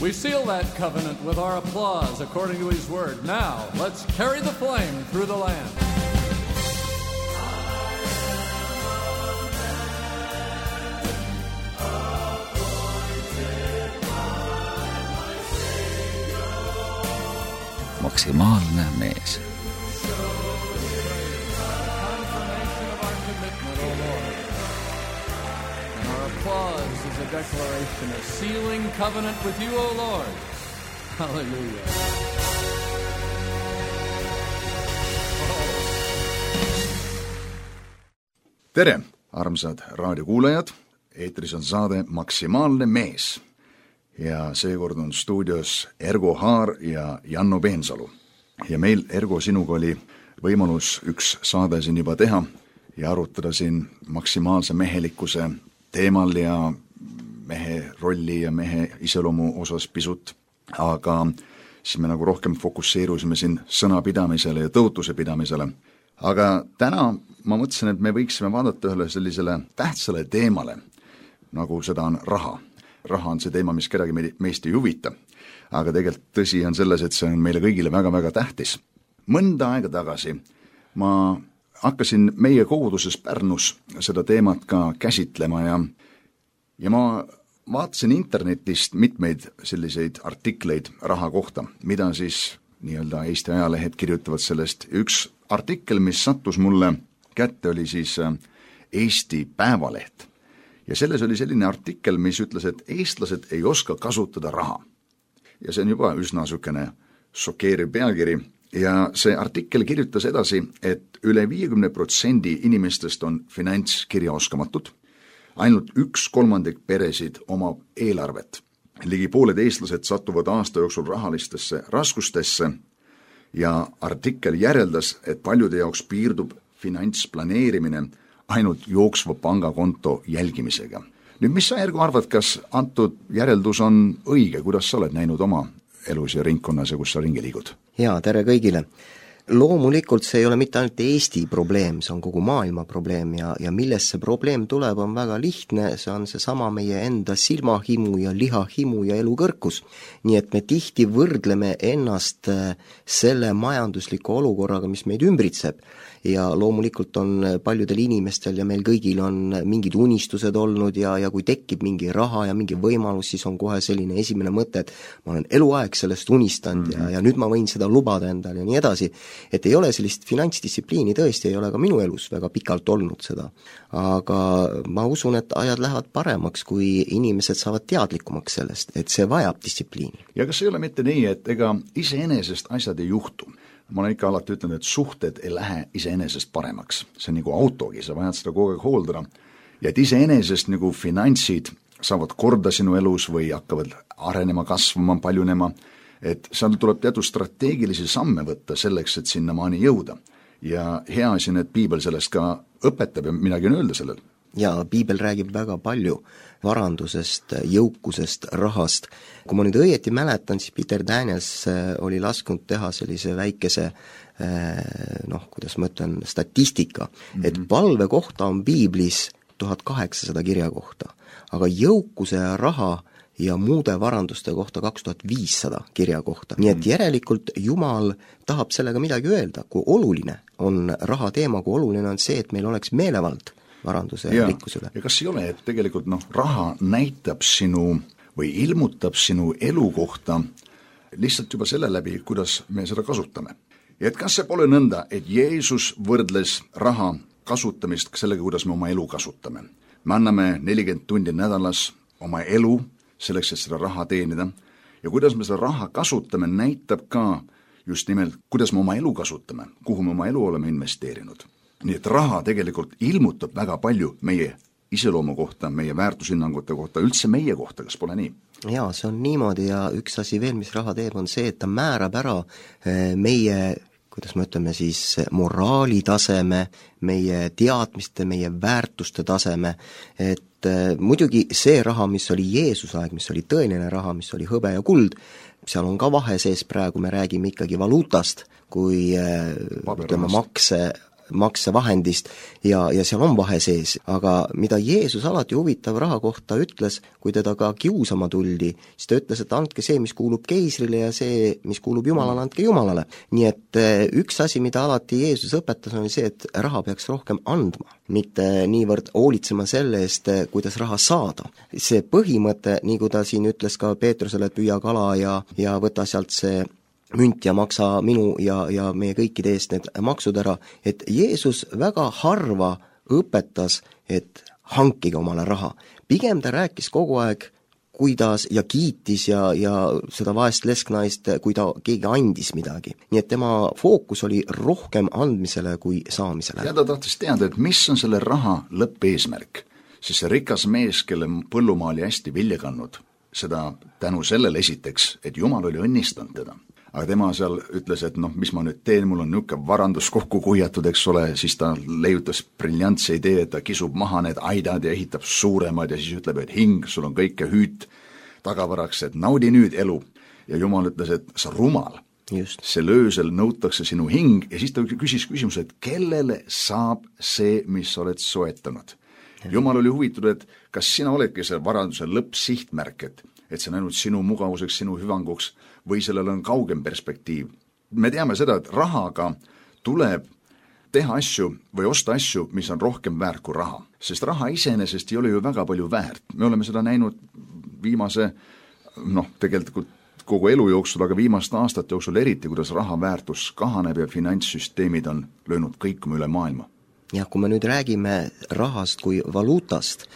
We seal that covenant with our applause according to his word. Now, let's carry the flame through the land. Maksimaalne mees. Applause is a declaration of sealing covenant with you, O Lord. Hallelujah. Tere, armsad raadiokuulajad. Eetris on saade Maksimaalne mees. Ja seekord on stuudios Ergo Haar ja Janno Peensalu. Ja meil, Ergo, sinuga oli võimalus üks saade siin juba teha ja arutada siin maksimaalse mehelikkuse teemal ja mehe rolli ja mehe iseloomu osas pisut, aga siis me nagu rohkem fokusseerusime siin sõnapidamisele ja tõotuse pidamisele. Aga täna ma mõtlesin, et me võiksime vaadata ühele sellisele tähtsale teemale, nagu seda on raha. Raha on see teema, mis kedagi meist ei huvita, aga tegelikult tõsi on selles, et see on meile kõigile väga-väga tähtis. Mõnda aega tagasi ma hakkasin meie koguduses Pärnus seda teemat ka käsitlema ja ma vaatasin internetist mitmeid selliseid artikleid raha kohta, mida siis nii-öelda Eesti ajalehed kirjutavad sellest. Üks artikkel, mis sattus mulle kätte, oli siis Eesti Päevaleht. Ja selles oli selline artikkel, mis ütles, et eestlased ei oska kasutada raha. Ja see on juba üsna sükene šokeeriv pealkiri. Ja see artikkel kirjutas edasi, et üle 50% inimestest on finantskirjaoskamatud, ainult 1/3 peresid omab eelarvet. Ligi pooled eestlased satuvad aasta jooksul rahalistesse raskustesse ja artikkel järeldas, et paljude jaoks piirdub finantsplaneerimine ainult jooksva pangakonto jälgimisega. Nüüd, mis sa, Ergo, arvad, kas antud järeldus on õige, kuidas sa oled näinud oma elus ja ringkonnas ja kus sa ringi liigud? Jaa, tere kõigile. Loomulikult see ei ole mitte ainult Eesti probleem, see on kogu maailma probleem ja millest see probleem tuleb, on väga lihtne, see on seesama meie enda silmahimu ja lihahimu ja elukõrkus. Nii et me tihti võrdleme ennast selle majandusliku olukorraga, mis meid ümbritseb. Ja loomulikult on paljudel inimestel ja meil kõigil on mingid unistused olnud ja kui tekib mingi raha ja mingi võimalus, siis on kohe selline esimene mõte, et ma olen eluaeg sellest unistanud ja nüüd ma võin seda lubada endale ja nii edasi. Et ei ole sellist finantsdistsipliini, tõesti ei ole ka minu elus väga pikalt olnud seda. Aga ma usun, et ajad lähevad paremaks, kui inimesed saavad teadlikumaks sellest, et see vajab distsipliini. Ja kas ei ole mitte nii, et ega iseenesest asjad ei juhtu? Ma olen ikka alati ütlenud, et suhted ei lähe iseenesest paremaks. See on nagu autogi, sa vajad seda kogu aeg hooldada. Ja et iseenesest nagu finantsid saavad korda sinu elus või hakkavad arenema, kasvama, paljunema, et seal tuleb teatud strateegilisi samme võtta selleks, et sinna maani jõuda. Ja hea siin, et Piibel sellest ka õpetab ja midagi on öelda sellel. Ja Piibel räägib väga palju varandusest, jõukusest, rahast. Kui ma nüüd õieti mäletan, siis Peter Daniels oli lasknud teha sellise väikese, kuidas ma ütlen, statistika, et palve kohta on Piiblis 1800 kirja kohta, aga jõukuse ja raha ja muude varanduste kohta 2500 kirja kohta. Nii et järelikult Jumal tahab sellega midagi öelda, kui oluline on raha teema, kui oluline on see, et meil oleks meelevald varanduse ja rikkuse üle. Ja kas ei ole, et tegelikult raha näitab sinu või ilmutab sinu elu kohta lihtsalt juba selle läbi, kuidas me seda kasutame. Ja et kas see pole nõnda, et Jeesus võrdles raha kasutamist sellega, kuidas me oma elu kasutame. Me anname 40 tundi nädalas oma elu selleks, et seda raha teenida ja kuidas me seda raha kasutame, näitab ka just nimelt, kuidas me oma elu kasutame, kuhu me oma elu oleme investeerinud. Nii et raha tegelikult ilmutab väga palju meie iseloomu kohta, meie väärtushinnangute kohta, üldse meie kohta, kas pole nii? Jaa, see on niimoodi ja üks asi veel, mis raha teeb, on see, et ta määrab ära meie, kuidas me ütleme siis, moraalitaseme, meie teadmiste, meie väärtuste taseme, et muidugi see raha, mis oli Jeesuse aeg, mis oli tõeline raha, mis oli hõbe ja kuld, seal on ka vahe sees, praegu me räägime ikkagi valuutast, kui ütleme makse maksevahendist ja seal on vahe sees, aga mida Jeesus alati huvitav raha kohta ütles, kui teda ka kiusama tuldi, siis ta ütles, et andke see, mis kuulub keisrile ja see, mis kuulub Jumalale, andke Jumalale. Nii et üks asi, mida alati Jeesus õpetas, on see, et raha peaks rohkem andma, mitte niivõrd hoolitsema selle eest, kuidas raha saada. See põhimõte, nii kui ta siin ütles ka Peetrusele, et püüa kala ja võta sealt see münt ja maksa minu ja meie kõikide eest need maksud ära, et Jeesus väga harva õpetas, et hankige omale raha. Pigem ta rääkis kogu aeg, kuidas ja kiitis ja seda vaest lesknaist, kui ta keegi andis midagi. Nii et tema fookus oli rohkem andmisele kui saamisele. Ja ta tahtis teada, et mis on selle raha lõppeesmärk, siis see rikas mees, kelle põllumaa oli hästi vilja kandnud, seda tänu sellele esiteks, et Jumal oli õnnistanud teda. Aga tema seal ütles, et mis ma nüüd teen, mul on niisugune varandus kokku kuhjatud, eks ole, siis ta leiutas briljantse idee, et ta kisub maha need aidad ja ehitab suuremad ja siis ütleb, et hing, sul on kõike hüüd tagavaraks, et naudi nüüd elu. Ja Jumal ütles, et sa rumal. Just. See öösel nõutakse sinu hing ja siis ta küsis küsimuse, et kellele saab see, mis oled soetanud. Jumal oli huvitatud, et kas sina oledki see varanduse lõppsihtmärk, et see on ainult sinu mugavuseks, sinu hüvanguks või sellel on kaugem perspektiiv. Me teame seda, et rahaga tuleb teha asju või osta asju, mis on rohkem väärt kui raha. Sest raha iseenesest ei ole ju väga palju väärt. Me oleme seda näinud viimase, tegelikult kogu elu jooksul, aga viimaste aastate jooksul eriti, kuidas raha väärtus kahaneb ja finantssüsteemid on löönud kõikuma üle maailma. Ja kui me nüüd räägime rahast kui valuutast,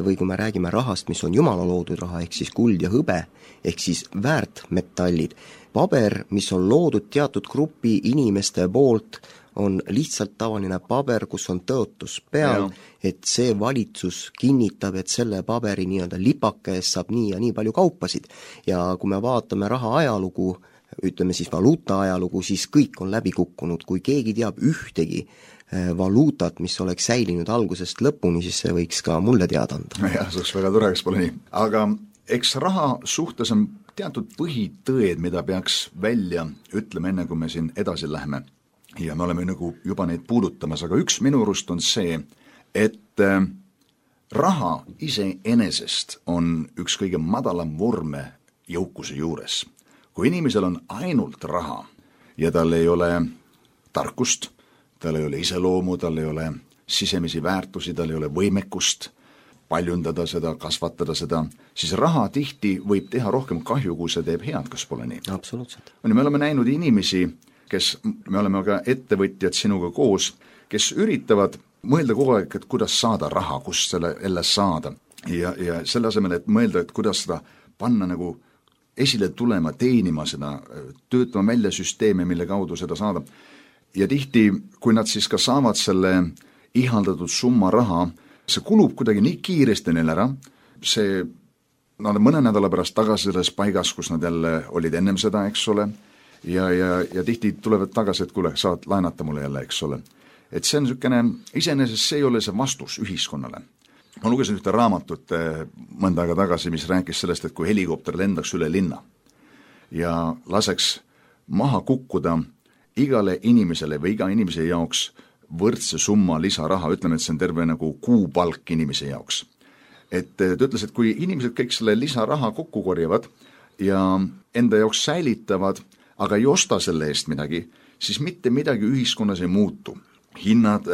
või kui me räägime rahast, mis on Jumala loodud raha, ehk siis kuld ja hõbe, ehk siis väärtmetallid, paber, mis on loodud teatud grupi inimeste poolt, on lihtsalt tavaline paber, kus on tõotus peal, et see valitsus kinnitab, et selle paberi nii-öelda lipake eest saab nii ja nii palju kaupasid. Ja kui me vaatame raha ajalugu, ütleme siis valuuta ajalugu, siis kõik on läbi kukkunud. Kui keegi teab ühtegi valuutat, mis oleks säilinud algusest lõpuni, siis see võiks ka mulle teada anda. Jah, see oleks väga tore, eks pole nii. Aga eks raha suhtes on teatud põhitõed, mida peaks välja ütlema enne, kui me siin edasi läheme. Ja me oleme nagu juba neid puudutamas, aga üks minu arust on see, et raha iseenesest on üks kõige madalam vorme jõukuse juures. Kui inimesel on ainult raha ja tal ei ole tarkust, tal ei ole iseloomu, tal ei ole sisemisi väärtusi, tal ei ole võimekust paljundada seda, kasvatada seda, siis raha tihti võib teha rohkem kahju, kui see teeb head, kas pole nii? Absoluutselt. Me oleme näinud inimesi, me oleme ka ettevõtjad sinuga koos, kes üritavad mõelda kogu aeg, et kuidas saada raha, kust selle jälle saada. Ja selle asemel, et mõelda, et kuidas seda panna nagu esile tulema, teenima seda, töötama välja süsteeme, mille kaudu seda saada. Ja tihti, kui nad siis ka saavad selle ihaldatud summa raha, see kulub kuidagi nii kiiresti neil ära, see mõne nädala pärast tagasi selles paigas, kus nad jälle olid ennem seda, eks ole, ja tihti tulevad tagasi, et kuule, saad laenata mulle jälle, eks ole. Et see on niisugune, iseenesest see ei ole see vastus ühiskonnale. Ma lugesin ühte raamatut mõnda aega tagasi, mis rääkis sellest, et kui helikopter lendaks üle linna ja laseks maha kukkuda igale inimesele või iga inimese jaoks võrdse summa lisaraha, ütleme, et see on terve nagu kuupalk inimese jaoks. Et ta ütles, et kui inimesed kõik selle lisaraha kokku korjavad ja enda jaoks säilitavad, aga ei osta selle eest midagi, siis mitte midagi ühiskonnas ei muutu. Hinnad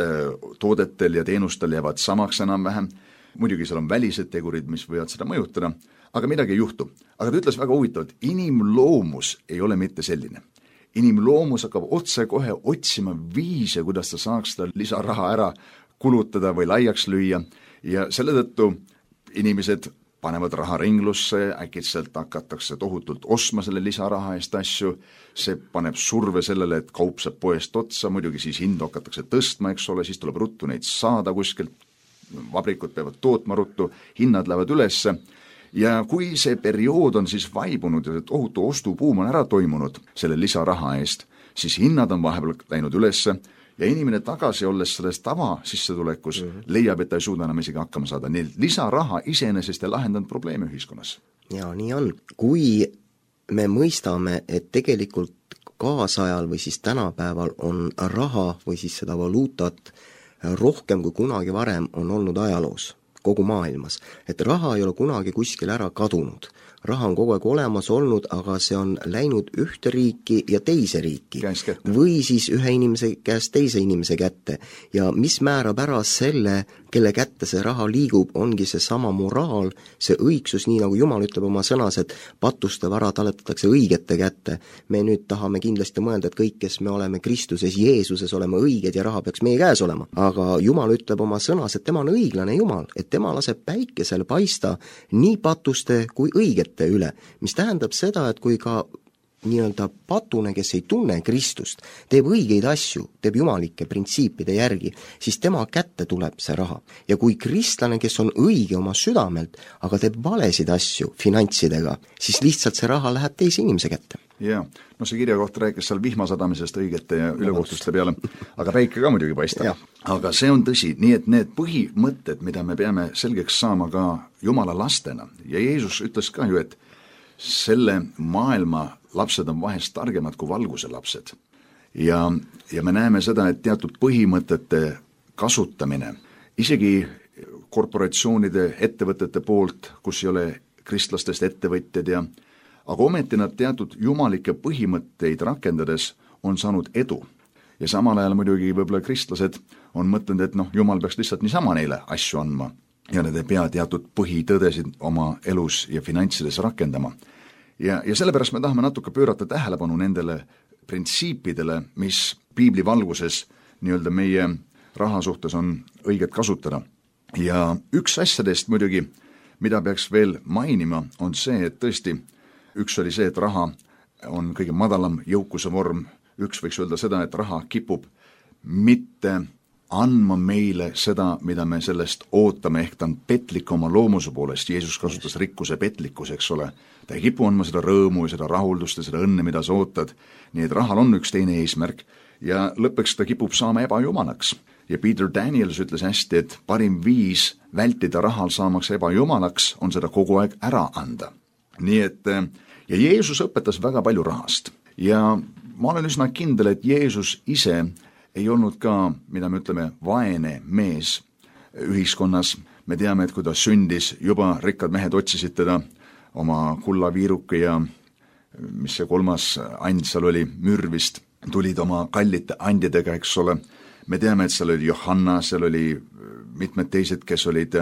toodetel ja teenustel jäävad samaks enam-vähem, muidugi seal on välised tegurid, mis võivad seda mõjutada, aga midagi ei juhtu. Aga ta ütles väga huvitavalt, inimloomus ei ole mitte selline. Inimloomus hakkab otse kohe otsima viise, kuidas ta saaks seda lisaraha ära kulutada või laiaks lüüa ja selle tõttu inimesed panevad raha ringlusse, äkitselt hakatakse tohutult ostma selle lisaraha eest asju, see paneb surve sellele, et kaup saab poest otsa, muidugi siis hindu hakatakse tõstma, eks ole, siis tuleb ruttu neid saada kuskilt, vabrikud peavad tootma ruttu, hinnad lähevad ülesse. Ja kui see periood on siis vaibunud ja tohutu ostupuum on ära toimunud selle lisaraha eest, siis hinnad on vahepeal läinud ülesse ja inimene tagasi olles selles tava sissetulekus leiab, et ta ei suuda enam isegi hakkama saada. Nii lisaraha iseenesest ei lahendanud probleeme ühiskonnas. Ja nii on. Kui me mõistame, et tegelikult kaasajal või siis tänapäeval on raha või siis seda valuutat rohkem kui kunagi varem on olnud ajaloos, kogu maailmas. Et raha ei ole kunagi kuskil ära kadunud. Raha on kogu aeg olemas olnud, aga see on läinud ühte riiki ja teise riiki. Või siis ühe inimese käest teise inimese kätte. Ja mis määrab ära selle, kelle kätte see raha liigub, ongi see sama moraal, see õigsus, nii nagu Jumal ütleb oma sõnas, et patuste vara taletatakse õigete kätte. Me nüüd tahame kindlasti mõelda, et kõik, kes me oleme Kristuses, Jeesuses, oleme õiged ja raha peaks meie käes olema. Aga Jumal ütleb oma sõnas, et tema on õiglane Jumal, et tema laseb päikesel paista nii patuste kui õigete üle, mis tähendab seda, et kui ka nii-öelda patune, kes ei tunne Kristust, teeb õigeid asju, teeb jumalike printsiipide järgi, siis tema kätte tuleb see raha. Ja kui kristlane, kes on õige oma südamelt, aga teeb valesid asju finantsidega, siis lihtsalt see raha läheb teise inimese kätte. Jaa, no see kirjakoht rääkis seal vihmasadamisest õigete ja ülekohtuste peale, aga päike ka muidugi paistab. Aga see on tõsi, nii et need põhimõtted, mida me peame selgeks saama ka Jumala lastena, ja Jeesus ütles ka ju, et selle maailma lapsed on vahest targemad kui valguse lapsed. Ja me näeme seda, et teatud põhimõtete kasutamine, isegi korporatsioonide, ettevõtete poolt, kus ei ole kristlastest ettevõtjad aga ometi nad teatud jumalikke põhimõtteid rakendades on saanud edu. Ja samal ajal muidugi võib-olla kristlased on mõtlenud, et Jumal peaks lihtsalt niisama neile asju andma ja nad ei pea teatud põhitõdesid oma elus ja finantsides rakendama. Ja sellepärast me tahame natuke pöörata tähelepanu nendele printsiipidele, mis piibli valguses nii-öelda meie raha suhtes on õiget kasutada. Ja üks asjadest muidugi, mida peaks veel mainima, on see, et tõesti üks oli see, et raha on kõige madalam jõukuse vorm. Üks võiks öelda seda, et raha kipub mitte andma meile seda, mida me sellest ootame, ehk ta on petlik oma loomuse poolest. Jeesus kasutas rikkuse petlikkus, eks ole. Ta ei kipu andma seda rõõmu ja seda rahuldust ja seda õnne, mida sa ootad. Nii et rahal on üks teine eesmärk ja lõpuks ta kipub saama ebajumalaks. Ja Peter Daniels ütles hästi, et parim viis vältida rahal saamaks ebajumalaks on seda kogu aeg ära anda. Nii et ja Jeesus õpetas väga palju rahast ja ma olen üsna kindel, et Jeesus ise ei olnud ka, mida me ütleme, vaene mees ühiskonnas. Me teame, et kui ta sündis, juba rikkad mehed otsisid teda oma kullaviiruke ja mis see kolmas and seal oli, mürvist, tulid oma kallite andidega, eks ole. Me teame, et seal oli Johanna, seal oli mitmed teised, kes olid,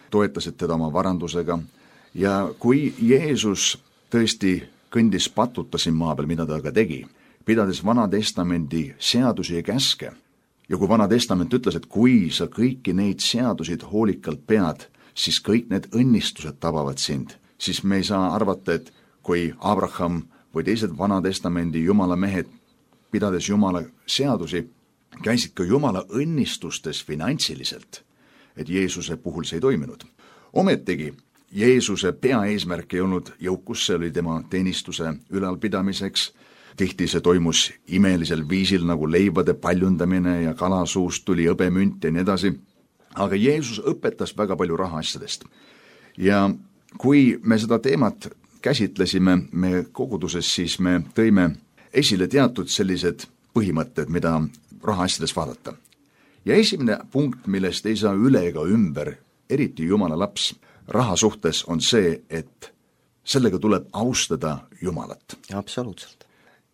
toetasid teda oma varandusega. Ja kui Jeesus tõesti kõndis patuta siin maa peal, mida ta ka tegi, pidades Vana Testamendi seadusi ja käske. Ja kui Vana Testament ütles, et kui sa kõiki neid seadusid hoolikalt pead, siis kõik need õnnistused tabavad sind. Siis me ei saa arvata, et kui Abraham või teised Vana Testamendi Jumala mehed, pidades Jumala seadusi, käisid ka Jumala õnnistustes finantsiliselt, et Jeesuse puhul see ei toiminud. Ometigi Jeesuse peaeesmärk ei olnud jõukus, see oli tema teenistuse ülalpidamiseks. Tihti see toimus imelisel viisil nagu leivade paljundamine ja kalasuust tuli hõbemünt ja nii edasi. Aga Jeesus õpetas väga palju rahaasjadest. Ja kui me seda teemat käsitlesime me koguduses, siis me tõime esile teatud sellised põhimõtted, mida rahaasjades vaadata. Ja esimene punkt, millest ei saa üle ega ümber, eriti Jumala laps, raha suhtes on see, et sellega tuleb austada Jumalat. Absoluutselt.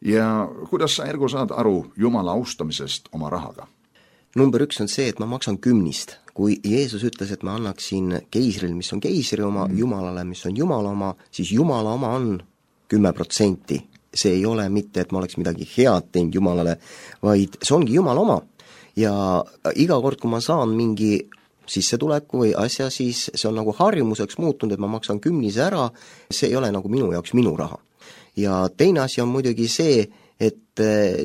Ja kuidas sa, Ergo, saad aru Jumala austamisest oma rahaga? Number 1 on see, et ma maksan 10. Kui Jeesus ütles, et ma annaksin keisril, mis on keisri oma, Jumalale, mis on Jumala oma, siis Jumala oma on 10%. See ei ole mitte, et ma oleks midagi head teinud Jumalale, vaid see ongi Jumala oma. Ja iga kord, kui ma saan mingi sissetuleku või asja, siis see on nagu harjumuseks muutunud, et ma maksan 10 ära, see ei ole nagu minu jaoks minu raha. Ja teine asi on muidugi see, et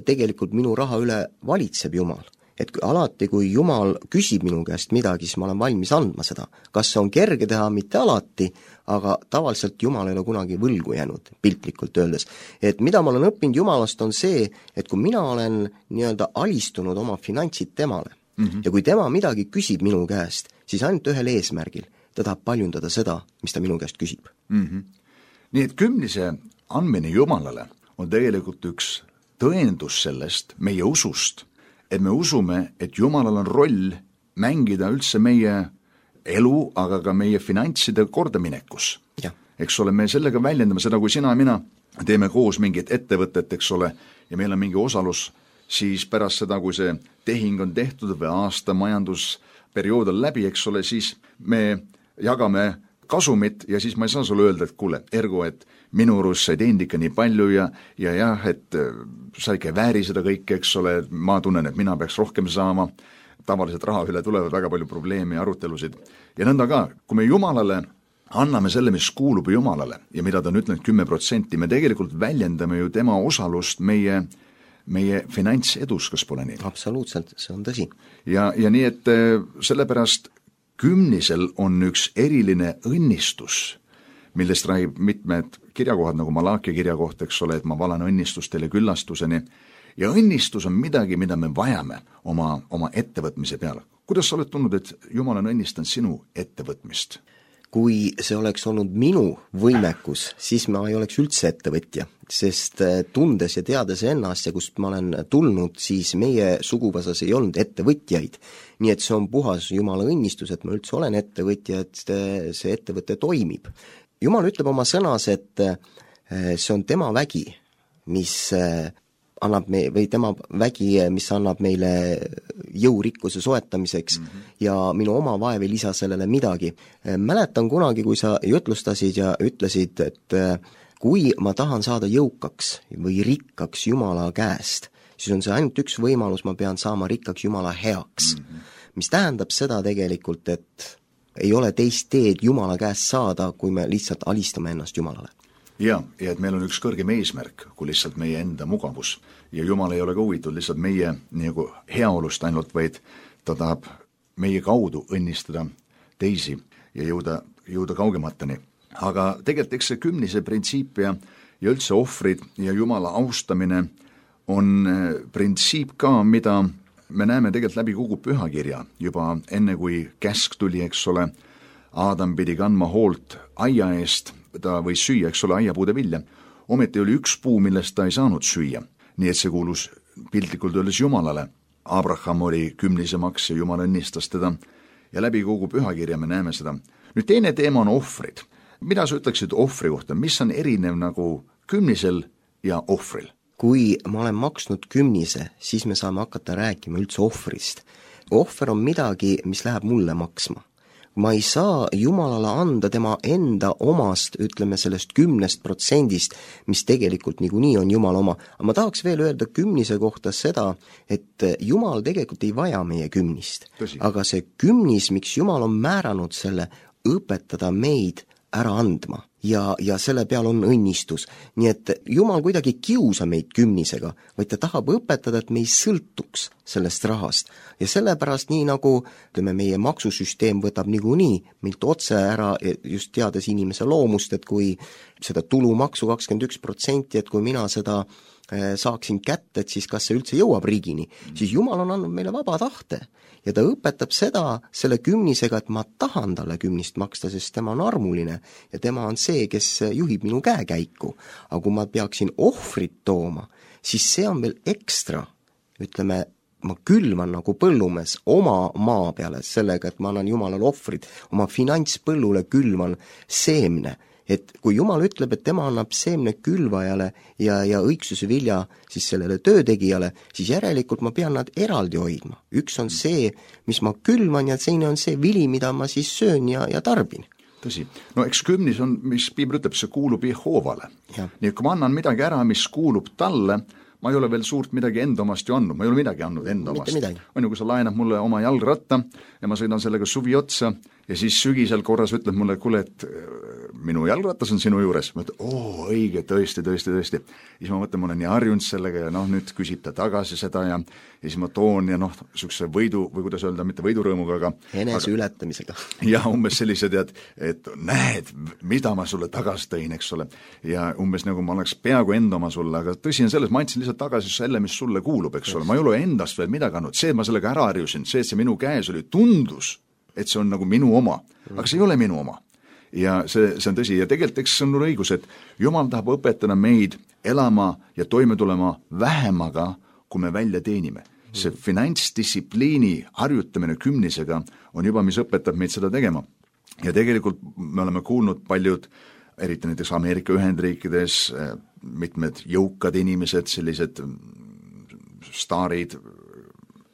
tegelikult minu raha üle valitseb Jumal. Et alati, kui Jumal küsib minu käest midagi, siis ma olen valmis andma seda. Kas see on kerge teha? Mitte alati, aga tavaliselt Jumal ei ole kunagi võlgu jäänud, piltlikult öeldes. Et mida ma olen õppinud Jumalast on see, et kui mina olen nii-öelda alistunud oma finantsid temale, ja kui tema midagi küsib minu käest, siis ainult ühel eesmärgil. Ta tahab paljundada seda, mis ta minu käest küsib. Nii et 10 andmine Jumalale on tegelikult üks tõendus sellest, meie usust, et me usume, et Jumalal on roll mängida üldse meie elu, aga ka meie finantside kordaminekus. Eks ole, me sellega väljendame seda, kui sina ja mina teeme koos mingit ettevõtet, eks ole, ja meil on mingi osalus, siis pärast seda, kui see tehing on tehtud või aasta majandusperiood on läbi, eks ole, siis me jagame kasumit ja siis ma ei saa sulle öelda, et kuule, Ergo, et minu arust sa ei teinud ikka nii palju ja jah, et sa ikka ei vääri seda kõike, eks ole, ma tunnen, et mina peaks rohkem saama, tavaliselt raha üle tulevad väga palju probleeme ja arutelusid. Ja nõnda ka, kui me Jumalale anname selle, mis kuulub Jumalale ja mida ta on ütlenud 10%, me tegelikult väljendame ju tema osalust meie finantsedus, kas pole nii? Absoluutselt, see on tõsi. Ja nii, et sellepärast kümnisel on üks eriline õnnistus, millest räägib mitmed kirjakohad, nagu Malakia kirjakoht, eks ole, et ma valan õnnistust teile küllastuseni. Ja õnnistus on midagi, mida me vajame oma ettevõtmise peale. Kuidas sa oled tundnud, et Jumal on õnnistanud sinu ettevõtmist? Kui see oleks olnud minu võimekus, siis ma ei oleks üldse ettevõtja, sest tundes ja teades ennast ja kust ma olen tulnud, siis meie suguvõsas ei olnud ettevõtjaid. Nii et see on puhas Jumala õnnistus, et ma üldse olen ettevõtja, et see ettevõte toimib. Jumal ütleb oma sõnas, et see on tema vägi, mis annab tema vägi, mis annab meile jõurikkuse soetamiseks ja minu oma vaev ei lisa sellele midagi. Mäletan kunagi, kui sa jutlustasid ja ütlesid, et kui ma tahan saada jõukaks või rikkaks Jumala käest, siis on see ainult üks võimalus, ma pean saama rikkaks Jumala heaks. Mis tähendab seda tegelikult, et ei ole teist teed Jumala käest saada, kui me lihtsalt alistame ennast Jumalale. Ja et meil on üks kõrgem eesmärk, kui lihtsalt meie enda mugavus. Ja Jumal ei ole ka huvitud lihtsalt meie nagu heaolust ainult, vaid ta tahab meie kaudu õnnistada teisi ja jõuda kaugemateni. Aga tegelikult eks see kümnise printsiip ja üldse ohvrid ja Jumala austamine on printsiip ka, mida me näeme tegelikult läbi kogu pühakirja. Juba enne kui käsk tuli, eks ole, Aadam pidi kandma hoolt aia eest, ta võis süüa, eks ole, aiapuude vilja. Ometi oli üks puu, millest ta ei saanud süüa. Nii et see kuulus piltlikult öeldes Jumalale. Abraham oli kümnise maks ja Jumal õnnistas teda. Ja läbi kogu pühakirja me näeme seda. Nüüd teine teema on ohvrid. Mida sa ütleksid ohvri kohta? Mis on erinev nagu kümnisel ja ohvril? Kui ma olen maksnud kümnise, siis me saame hakata rääkima üldse ohvrist. Ohver on midagi, mis läheb mulle maksma. Ma ei saa Jumalale anda tema enda omast, ütleme sellest 10%, mis tegelikult niikuinii on Jumala oma. Aga ma tahaks veel öelda kümnise kohta seda, et Jumal tegelikult ei vaja meie kümnist. Aga see kümnis, miks Jumal on määranud selle, õpetada meid ära andma ja selle peal on õnnistus. Nii et Jumal kuidagi kiusa meid kümnisega, vaid ta tahab õpetada, et me ei sõltuks sellest rahast. Ja sellepärast nii nagu meie maksusüsteem võtab niikuinii meilt otse ära, just teades inimese loomust, et kui seda tulumaksu 21%, et kui mina seda saaksin kätte, et siis kas see üldse jõuab riigini, siis Jumal on andnud meile vaba tahte. Ja ta õpetab seda selle kümnisega, et ma tahan talle kümnist maksta, sest tema on armuline ja tema on see, kes juhib minu käekäiku. Aga kui ma peaksin ohvrit tooma, siis see on veel ekstra, ütleme, ma külvan nagu põllumees oma maa peale sellega, et ma annan Jumalale ohvrid, oma finantspõllule külvan seemne. Et kui Jumal ütleb, et tema annab seemne külvajale ja õigsuse vilja siis sellele töötegijale, siis järelikult ma pean nad eraldi hoidma. Üks on see, mis ma külvan ja teine on see vili, mida ma siis söön ja tarbin. Tõsi. No eks kümnis on, mis Piibel ütleb, see kuulub Jehoovale. Nii kui ma annan midagi ära, mis kuulub talle, ma ei ole veel suurt midagi enda omast ju andnud, ma ei ole midagi andnud enda omast. On ju, kui sa laenad mulle oma jalgratta ja ma sõidan sellega suvi otsa ja siis sügisel korras ütled mulle, kuule, et minu jalgratas on sinu juures. Ma ütlen, õige, tõesti. Ja siis ma mõtlen, ma olen nii harjunud sellega ja nüüd küsib ta tagasi seda ja siis ma toon ja sükse võidu, või kuidas öelda, mitte võidurõõmuga, aga enese ületamisega. Ja umbes sellised, et näed, mida ma sulle tagasi tõin, eks ole. Ja umbes nagu ma oleks peaaegu enda oma sulle, aga tõsi on selles, ma andsin lihtsalt tagasi selle, mis sulle kuulub, eks ole. Ma ei ole endast veel midagi andnud, see, et ma sellega ära harjusin, see, et see minu käes oli, tundus, et see on nagu minu oma, aga see ei ole minu oma. Ja see on tõsi ja tegelikult eks see on õigus, et Jumal tahab õpetada meid elama ja toime tulema vähemaga, kui me välja teenime. See finantsdistsipliini harjutamine kümnisega on juba, mis õpetab meid seda tegema. Ja tegelikult me oleme kuulnud paljud, eriti näiteks Ameerika Ühendriikides, mitmed jõukad inimesed, sellised staarid,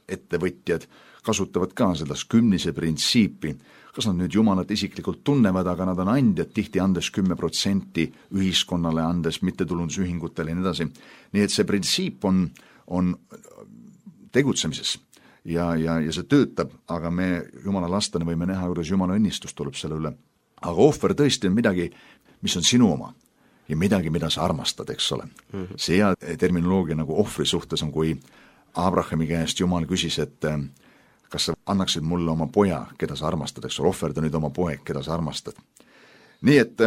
ettevõtjad, kasutavad ka sellest kümnise printsiipi. Kas nad nüüd Jumalat isiklikult tunnevad, aga nad on andjad, tihti andes 10% ühiskonnale, andes mittetulundusühingutele ja nii edasi. Nii et see printsiip on tegutsemises ja see töötab, aga me Jumala lastena võime näha, kuidas Jumala õnnistus tuleb selle üle. Aga ohver tõesti on midagi, mis on sinu oma ja midagi, mida sa armastad, eks ole. See hea terminoloogia nagu ohvri suhtes on, kui Abrahami käest Jumal küsis, et kas sa annaksid mulle oma poja, keda sa armastad, eks ole, ohverda nüüd oma poeg, keda sa armastad. Nii et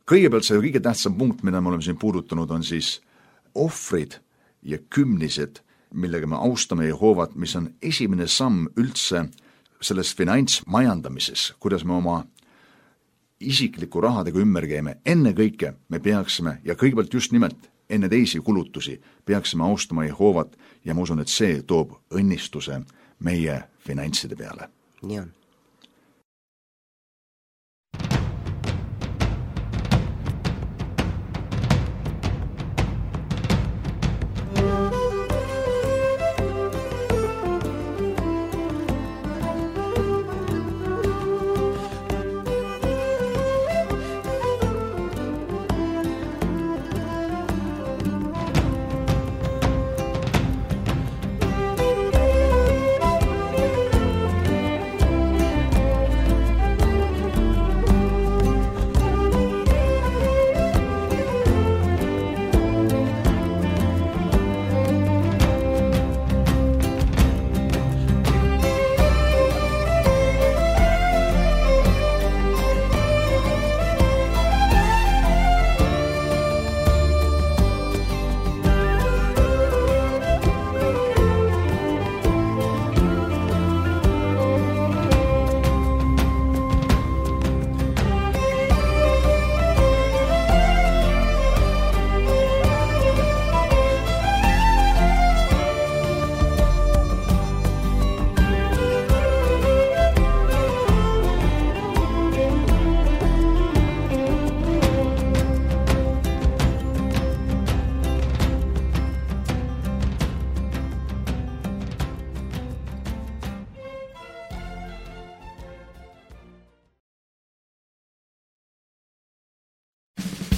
kõigepealt see kõige tähtsam punkt, mida me oleme siin puudutanud, on siis ohvrid ja kümnised, millega me austame Jehoovat, mis on esimene samm üldse selles finantsmajandamises, kuidas me oma isikliku rahadega ümber käime. Enne kõike me peaksime, ja kõigepealt just nimelt enne teisi kulutusi, peaksime austama Jehoovat ja ma usun, et see toob õnnistuse meie finantside peale. Nii on.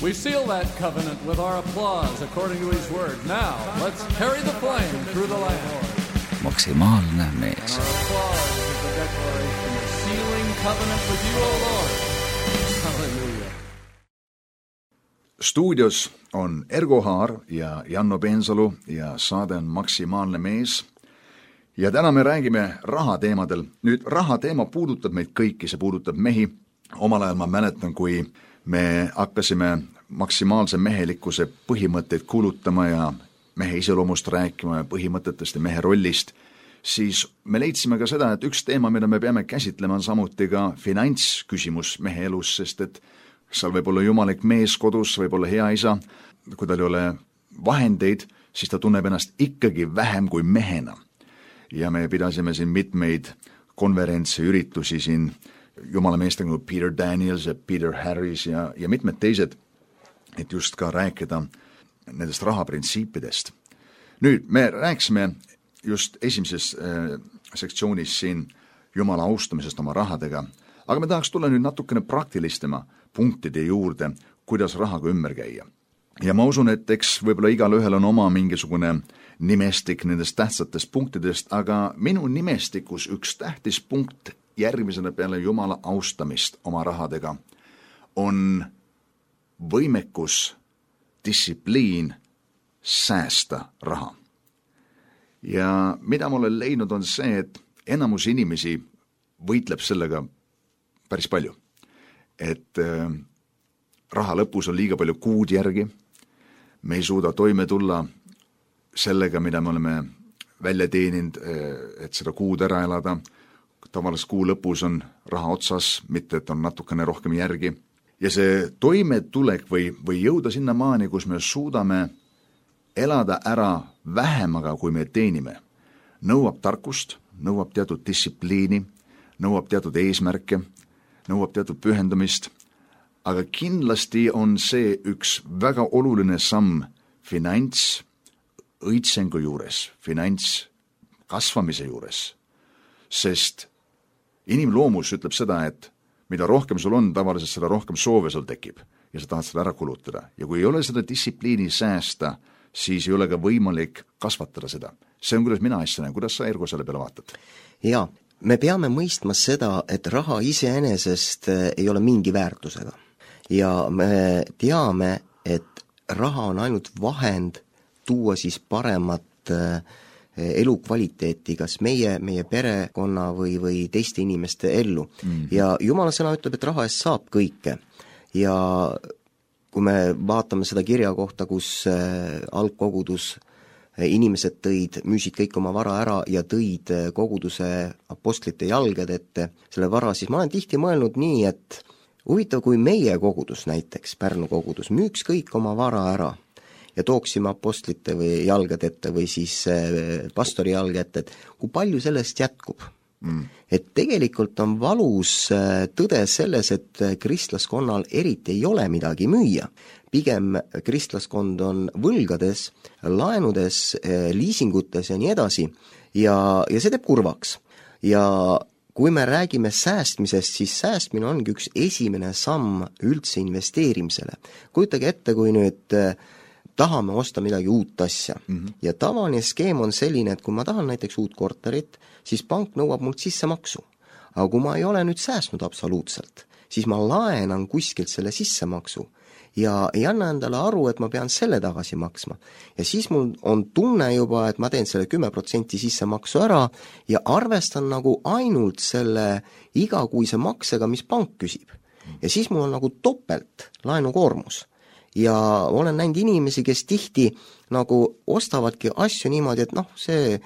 We seal that covenant with our applause according to his word. Now, let's carry the flame through the land. Maksimaalne mees. Our applause is the declaration of sealing covenant with you, O Lord. Hallelujah. Stuudios on Ergo Haar ja Janno Peensalu ja saade on Maksimaalne mees. Ja täna me räägime rahateemadel. Nüüd rahateema puudutab meid kõiki, see puudutab mehi. Omal ajal ma mäletan, kui me hakkasime maksimaalse mehelikkuse põhimõtteid kuulutama ja mehe iseloomust rääkima ja põhimõtetest ja mehe rollist, siis me leidsime ka seda, et üks teema, mida me peame käsitlema, on samuti ka finantsküsimus mehe elus, sest et seal võib olla jumalik mees kodus, võib olla hea isa, kui tal ei ole vahendeid, siis ta tunneb ennast ikkagi vähem kui mehena. Ja me pidasime siin mitmeid konverentse, üritusi siin jumala meestega nagu Peter Daniels ja Peter Harris ja mitmed teised, et just ka rääkida nendest rahaprintsiipidest. Nüüd me rääksime just esimeses sektsioonis siin jumala austamisest oma rahadega, aga me tahaks tulla nüüd natukene praktilistema punktide juurde, kuidas rahaga ümber käia. Ja ma usun, et eks võib-olla igal ühel on oma mingisugune nimestik nendest tähtsatest punktidest, aga minu nimestikus üks tähtis punkt järgmisena peale jumala austamist oma rahadega on võimekus, distsipliin säästa raha. Ja mida ma olen leidnud on see, et enamus inimesi võitleb sellega päris palju. Et raha lõpus on liiga palju kuud järgi, me ei suuda toime tulla sellega, mida me oleme välja teeninud, et seda kuud ära elada. Tavaliselt kuu lõpus on raha otsas, mitte et on natukene rohkem järgi. ja see toimetulek või jõuda sinna maani, kus me suudame elada ära vähemaga, kui me teenime, nõuab tarkust, nõuab teatud distsipliini, nõuab teatud eesmärke, nõuab teatud pühendumist, aga kindlasti on see üks väga oluline samm finantsõitsengu juures, finantskasvamise juures, sest inimloomus ütleb seda, et mida rohkem sul on, tavaliselt seda rohkem soove sul tekib ja sa tahad seda ära kulutada. Ja kui ei ole seda distsipliini säästa, siis ei ole ka võimalik kasvatada seda. See on, kuidas mina asja näen. Kuidas sa, Ergo, selle peale vaatad? Jaa, me peame mõistma seda, et raha iseenesest ei ole mingi väärtusega. Ja me teame, et raha on ainult vahend tuua siis paremat elukvaliteeti, kas meie perekonna või teiste inimeste ellu. Ja Jumala sõna ütleb, et raha eest saab kõike. Ja kui me vaatame seda kirja kohta, kus algkogudus inimesed müüsid kõik oma vara ära ja tõid koguduse apostlite jalgade ette selle vara, siis ma olen tihti mõelnud nii, et huvitav, kui meie kogudus näiteks, Pärnu kogudus, müüks kõik oma vara ära ja tooksime apostlite või jalgade ette või siis pastori jalga ette, et kui palju sellest jätkub. Et tegelikult on valus tõde selles, et kristlaskonnal eriti ei ole midagi müüa. Pigem kristlaskond on võlgades, laenudes, liisingutes ja nii edasi ja see teeb kurvaks. Ja kui me räägime säästmisest, siis säästmine ongi üks esimene samm üldse investeerimisele. Kujutage ette, kui nüüd tahame osta midagi uut asja. Ja tavaline skeem on selline, et kui ma tahan näiteks uut korterit, siis pank nõuab mult sissemaksu. Aga kui ma ei ole nüüd säästnud absoluutselt, siis ma laenan kuskilt selle sissemaksu ja ei anna endale aru, et ma pean selle tagasi maksma. Ja siis mul on tunne juba, et ma teen selle 10% sissemaksu ära ja arvestan nagu ainult selle igakuise maksega, mis pank küsib. Ja siis mul on nagu topelt laenukoormus. Ja olen näinud inimesi, kes tihti nagu ostavadki asju niimoodi, et see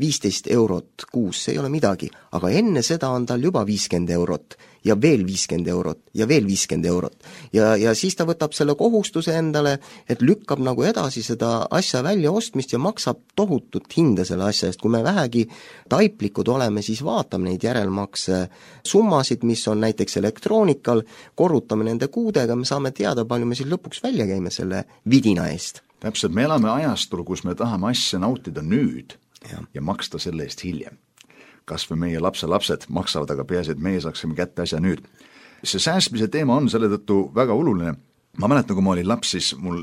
15 eurot kuus, see ei ole midagi, aga enne seda on tal juba 50 eurot ja veel 50 eurot ja veel 50 eurot. Ja siis ta võtab selle kohustuse endale, et lükkab nagu edasi seda asja välja ostmist ja maksab tohutut hinda selle asja eest. Kui me vähegi taiplikud oleme, siis vaatame neid järelmakse summasid, mis on näiteks elektroonikal, korrutame nende kuudega, me saame teada, palju me siis lõpuks välja käime selle vidina eest. Täpselt, me elame ajastul, kus me tahame asja nautida nüüd ja maksta selle eest hiljem. Kas või meie lapsed maksavad, aga peaasi, et meie saaksime kätte asja nüüd. See säästmise teema on selle tõttu väga oluline. Ma mäletan, kui ma olin laps, siis mul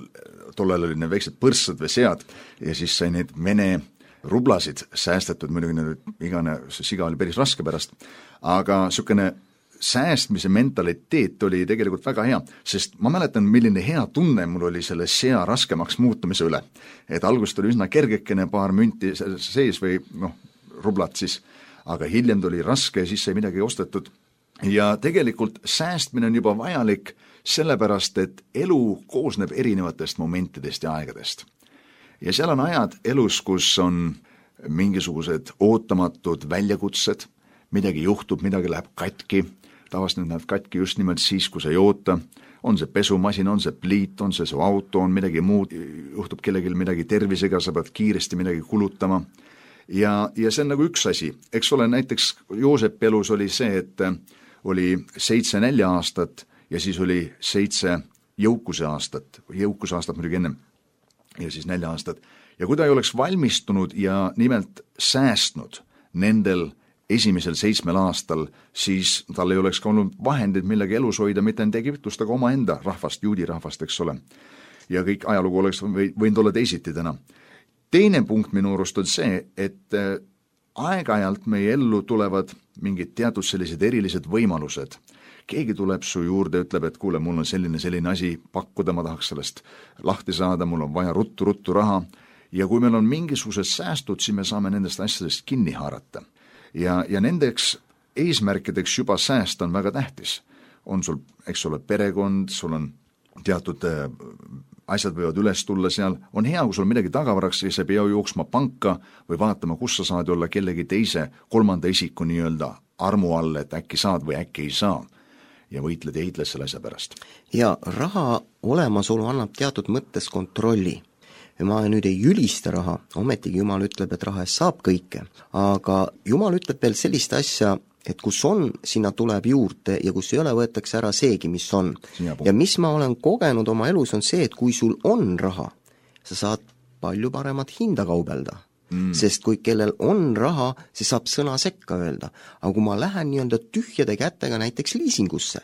tollel oli need väiksed põrssad või sead ja siis sai neid Vene rublasid säästetud, muidugi igane siga oli päris raske pärast, aga niisugune säästmise mentaliteet oli tegelikult väga hea, sest ma mäletan, milline hea tunne mul oli selle sea raskemaks muutumise üle. Et algust oli üsna kergekene, paar münti sees või rublat siis, aga hiljem tuli raske ja siis sai midagi ostetud. Ja tegelikult säästmine on juba vajalik sellepärast, et elu koosneb erinevatest momentidest ja aegadest. Ja seal on ajad elus, kus on mingisugused ootamatud väljakutsed, midagi juhtub, midagi läheb katki, tavaliselt need lähevad katki just nimelt siis, kui sa ei oota, on see pesumasin, on see pliit, on see su auto, on midagi muud, juhtub kellelgi midagi tervisega, sa pead kiiresti midagi kulutama. Ja see on nagu üks asi. Eks ole, näiteks Joosep elus oli see, et oli 7 4 aastat ja siis oli 7 jõukuse aastat muidugi ennem ja siis 4 aastat. Ja kui ta ei oleks valmistunud ja nimelt säästnud nendel esimesel 7 aastal, siis tal ei oleks ka olnud vahendid millega elus hoida, mitte enda Egiptust, aga oma enda rahvast, juudi rahvast, eks ole. Ja kõik ajalugu oleks võinud olla teisiti täna. Teine punkt minu arust on see, et aeg-ajalt meie ellu tulevad mingid teatud sellised erilised võimalused. Keegi tuleb su juurde, ütleb, et kuule, mul on selline asi pakkuda, ma tahaks sellest lahti saada, mul on vaja ruttu raha. Ja kui meil on mingisugused säästud, siis me saame nendest asjadest kinni haarata. Ja nendeks eesmärkideks juba säästa on väga tähtis. On sul, eks ole, perekond, sul on teatud asjad võivad üles tulla seal. On hea, kui sul midagi tagavaraks, siis ei pea jooksma panka või vaatama, kus sa saad olla kellegi teise 3. isiku nii-öelda armu all, et äkki saad või äkki ei saa. ja võitled ja heitled selle asja pärast. Ja raha olemasolu annab teatud mõttes kontrolli. Ja ma nüüd ei ülista raha, ometigi Jumal ütleb, et raha eest saab kõike, aga Jumal ütleb veel sellist asja, et kus on, sinna tuleb juurde ja kus ei ole, võetakse ära seegi, mis on. Ja mis ma olen kogenud oma elus on see, et kui sul on raha, sa saad palju paremat hinda kaubelda. Sest kui kellel on raha, see saab sõna sekka öelda. Aga kui ma lähen nii-öelda tühjade kätega näiteks liisingusse,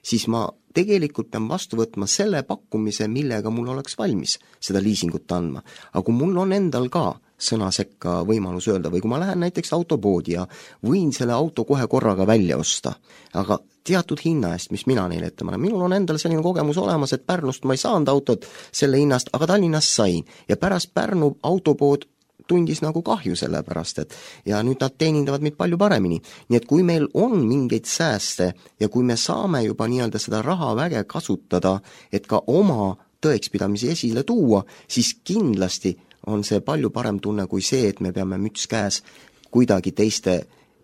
siis ma tegelikult pean vastu võtma selle pakkumise, millega mul oleks valmis seda liisingut andma. Aga kui mul on endal ka sõna sekka võimalus öelda või kui ma lähen näiteks autopoodi ja võin selle auto kohe korraga välja osta, aga teatud hinna eest, mis mina neile ette panen. Minul on endal selline kogemus olemas, et Pärnust ma ei saanud autot selle hinnast, aga Tallinnast sain. Ja pärast Pärnu autopood tundis nagu kahju selle pärast, et ja nüüd nad teenindavad meid palju paremini. Nii et kui meil on mingeid sääste ja kui me saame juba nii-öelda seda rahaväge kasutada, et ka oma tõekspidamisi esile tuua, siis kindlasti on see palju parem tunne kui see, et me peame müts käes kuidagi teiste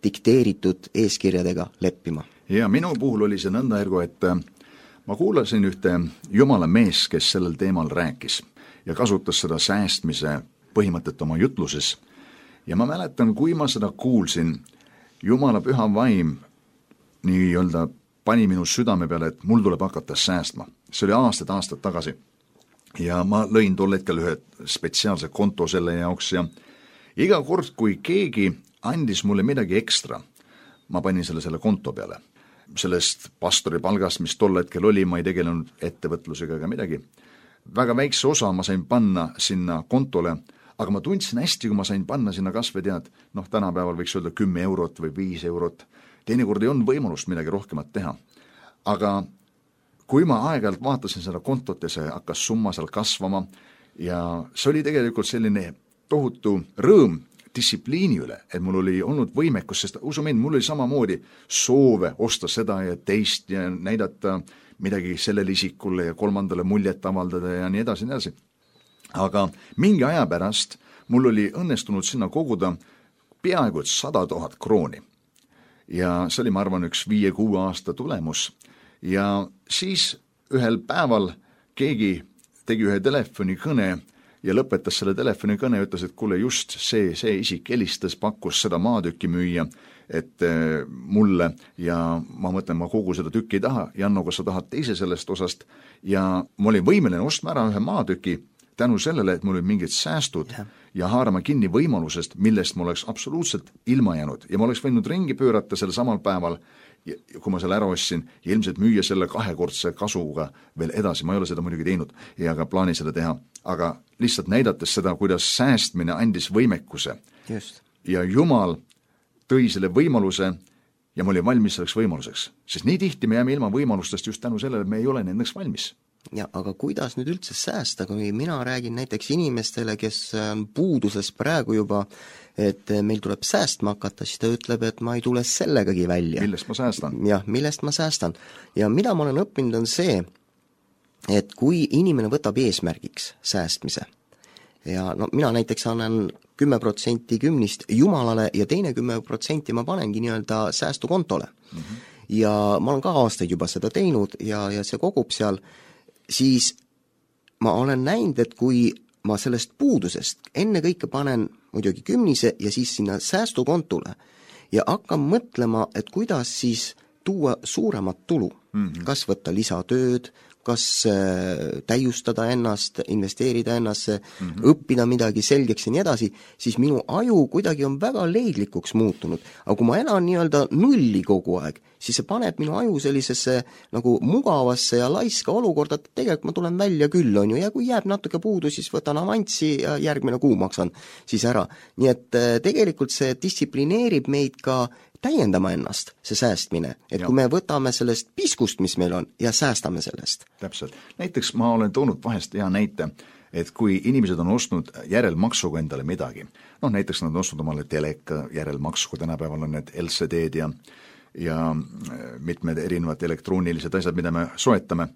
dikteeritud eeskirjadega leppima. Ja minu puhul oli see nõnda, Ergo, et ma kuulasin ühte jumala mees, kes sellel teemal rääkis ja kasutas seda säästmise põhimõtet oma jutluses. Ja ma mäletan, kui ma seda kuulsin, Jumala püha vaim nii-öelda pani minu südame peale, et mul tuleb hakata säästma. See oli aastad tagasi. Ja ma lõin tol hetkel ühe spetsiaalse konto selle jaoks ja iga kord, kui keegi andis mulle midagi ekstra, ma panin selle konto peale. Sellest pastori palgast, mis tol hetkel oli, ma ei tegelenud ettevõtlusega ega midagi. Väga väikse osa ma sain panna sinna kontole, aga ma tundsin hästi, kui ma sain panna sinna kasve tead, tänapäeval võiks öelda 10 eurot või 5 eurot. Teinekord ei olnud võimalust midagi rohkemat teha. Aga kui ma aeg-ajalt vaatasin seda kontot ja see hakkas summa seal kasvama ja see oli tegelikult selline tohutu rõõm distsipliini üle, et mul oli olnud võimekus, sest usu mind, mul oli samamoodi soove osta seda ja teist ja näidata midagi sellele isikule ja kolmandale muljet avaldada ja nii edasi, nii edasi. Aga mingi aja pärast mul oli õnnestunud sinna koguda peaaegu 100 000 krooni. Ja see oli, ma arvan, üks 5-6 aasta tulemus. Ja siis ühel päeval keegi tegi ühe telefonikõne ja lõpetas selle telefonikõne ja ütles, et kuule, just see isik helistas, pakkus seda maatükki müüa, et mulle ja ma mõtlen, ma kogu seda tükki ei taha, Janno, kas sa tahad teise sellest osast ja ma olin võimeline ostma ära ühe maatüki tänu sellele, et mul olid mingid säästud ja haarama kinni võimalusest, millest ma oleks absoluutselt ilma jäänud ja ma oleks võinud ringi pöörata selle samal päeval, kui ma selle ära ostsin ja ilmselt müüa selle 2-kordse kasuga veel edasi, ma ei ole seda muidugi teinud ja ka plaani seda teha, aga lihtsalt näidates seda, kuidas säästmine andis võimekuse. Just. Ja Jumal tõi selle võimaluse ja ma olin valmis selleks võimaluseks, sest nii tihti me jääme ilma võimalustest just tänu sellele, et me ei ole nendeks valmis. Ja, aga kuidas nüüd üldse säästa, kui mina räägin näiteks inimestele, kes on puuduses praegu juba, et meil tuleb säästma hakata, siis ta ütleb, et ma ei tule sellegagi välja. Millest ma säästan? Jah, millest ma säästan. Ja mida ma olen õppinud on see, et kui inimene võtab eesmärgiks säästmise ja mina näiteks annan 10% 10 Jumalale ja teine 10% ma panengi nii-öelda säästukontole. Ja ma olen ka aastaid juba seda teinud ja see kogub seal, siis ma olen näinud, et kui ma sellest puudusest enne kõike panen muidugi 10 ja siis sinna säästukontule ja hakkan mõtlema, et kuidas siis tuua suuremat tulu, kas võtta lisatööd, kas täiustada ennast, investeerida ennasse, õppida midagi selgeks ja nii edasi, siis minu aju kuidagi on väga leidlikuks muutunud. Aga kui ma elan nii-öelda nulli kogu aeg, siis see paneb minu aju sellisesse nagu mugavasse ja laiska olukorda, et tegelikult ma tulen välja küll, on ju, ja kui jääb natuke puudu, siis võtan avanssi ja järgmine kuu maksan siis ära. Nii et tegelikult see distsiplineerib meid ka täiendama ennast, see säästmine, et kui me võtame sellest piskust, mis meil on, ja säästame sellest. Täpselt. Näiteks ma olen toonud vahest hea näite, et kui inimesed on ostnud järelmaksuga endale midagi, näiteks nad on ostnud omale teleka järelmaksuga, tänapäeval on need LCD-d ja mitmed erinevad elektroonilised asjad, mida me soetame,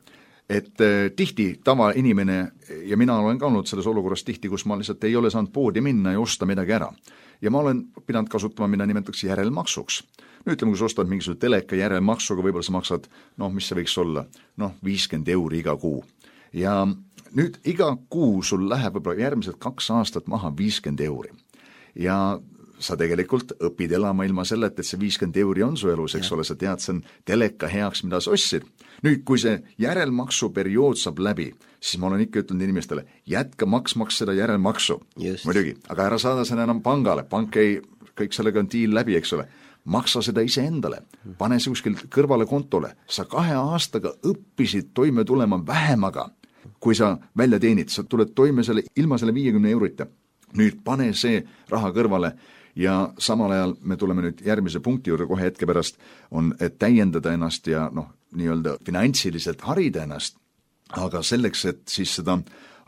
et tihti tavainimene, ja mina olen ka olnud selles olukorras tihti, kus ma lihtsalt ei ole saanud poodi minna ja osta midagi ära. Ja ma olen pidanud kasutama, mida nimetatakse järelmaksuks. ütleme, kui sa ostad mingisuguse teleka järelmaksuga, võib-olla sa maksad, mis see võiks olla, 50 € iga kuu. Ja nüüd iga kuu sul läheb võib-olla järgmised 2 aastat maha 50 €. Ja sa tegelikult õpid elama ilma selleta, et see 50 € on su elus, eks ole, sa tead, see on teleka heaks, mida sa ostsid. Nüüd, kui see järelmaksuperiood saab läbi, siis ma olen ikka ütelnud inimestele, jätka maksmaks seda järelmaksu. Muidugi, aga ära saada seda enam pangale, pank ei, kõik sellega on diil läbi, eks ole. Maksa seda ise endale, pane see kuskil kõrvale kontole. Sa 2 aastaga õppisid toime tulema vähemaga, kui sa välja teenid, sa tuled toime ilma selle 50 €-ta. Nüüd pane see raha kõrvale ja samal ajal me tuleme nüüd järgmise punkti juurde kohe hetke pärast, on, et täiendada ennast ja nii-öelda finantsiliselt harida ennast, aga selleks, et siis seda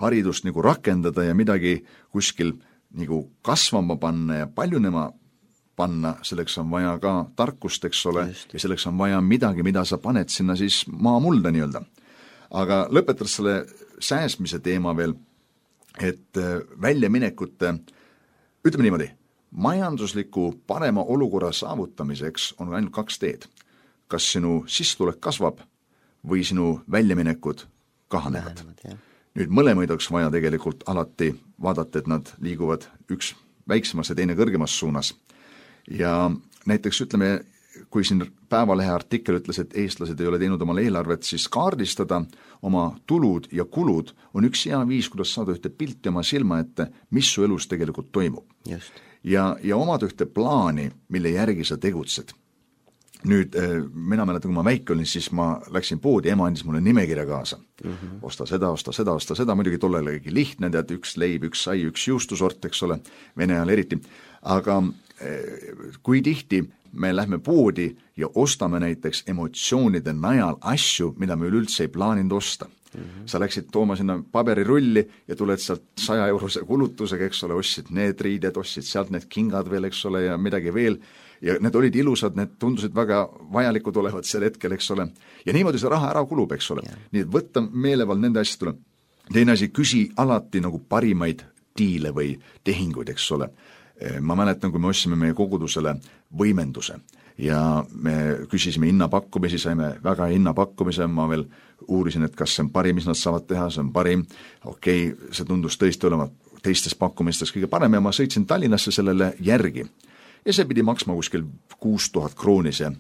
haridust nagu rakendada ja midagi kuskil nagu kasvama panna ja paljunema panna, selleks on vaja ka tarkust, eks ole, ja selleks on vaja midagi, mida sa paned sinna siis maamulda nii-öelda. Aga lõpetades selle säästmise teema veel, et väljaminekute, ütleme niimoodi, majandusliku parema olukorra saavutamiseks on ainult 2 teed. Kas sinu sissetulek kasvab või sinu väljaminekud kahanevad. Nüüd mõlemaid oleks vaja tegelikult alati vaadata, et nad liiguvad üks väiksemas ja teine kõrgemas suunas. Ja näiteks ütleme, kui siin Päevalehe artikkel ütles, et eestlased ei ole teinud omal eelarvet, siis kaardistada oma tulud ja kulud on üks hea viis, kuidas saada ühte pilti oma silma ette, mis su elus tegelikult toimub. Ja omada ühte plaani, mille järgi sa tegutsed. Nüüd, mina mäletan, kui ma väike olin, siis ma läksin poodi, ema andis mulle nimekirja kaasa. Osta seda, muidugi tollele lihtne, tead, üks leib, üks sai, üks juustusort, eks ole, Vene ajal eriti. Aga kui tihti me lähme poodi ja ostame näiteks emotsioonide najal asju, mida me üleüldse ei plaaninud osta. Sa läksid tooma sinna paberirulli ja tuled sealt 100 € kulutusega, eks ole, ostsid need riided, ostsid sealt need kingad veel, eks ole, ja midagi veel. Ja need olid ilusad, need tundusid väga vajalikud olevat sel hetkel, eks ole. Ja niimoodi see raha ära kulub, eks ole. Nii et võtta meelevald nende asjadele. Teine asi, küsi alati nagu parimaid diile või tehinguid, eks ole. Ma mäletan, kui me ostsime meie kogudusele võimenduse ja me küsisime hinnapakkumisi, saime väga hinnapakkumise, ma veel uurisin, et kas see on parim, mis nad saavad teha, see on parim. Okei, see tundus tõesti olema teistes pakkumistes kõige parem ja ma sõitsin Tallinnasse sellele järgi. Ja see pidi maksma kuskil 6000 krooni see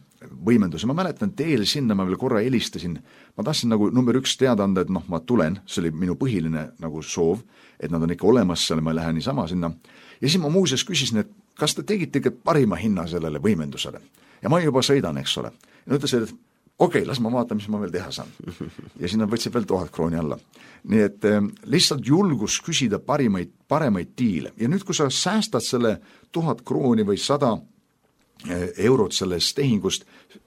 võimendus. Ja ma mäletan, teel sinna ma veel korra helistasin. Ma tahtsin nagu number 1 teada anda, et ma tulen, see oli minu põhiline nagu soov, et nad on ikka olemas seal, ma ei lähe niisama sinna. Ja siis ma muuseas küsisin, et kas te tegite ikka parima hinna sellele võimendusele. Ja ma juba sõidan, eks ole. Ja nad ütlesid, et okei, las ma vaatan, mis ma veel teha saan. Ja sinna võtsid veel 1000 krooni alla. Nii et lihtsalt julgus küsida paremaid diile. Ja nüüd, kui sa säästad selle 1000 krooni või 100 eurot sellest tehingust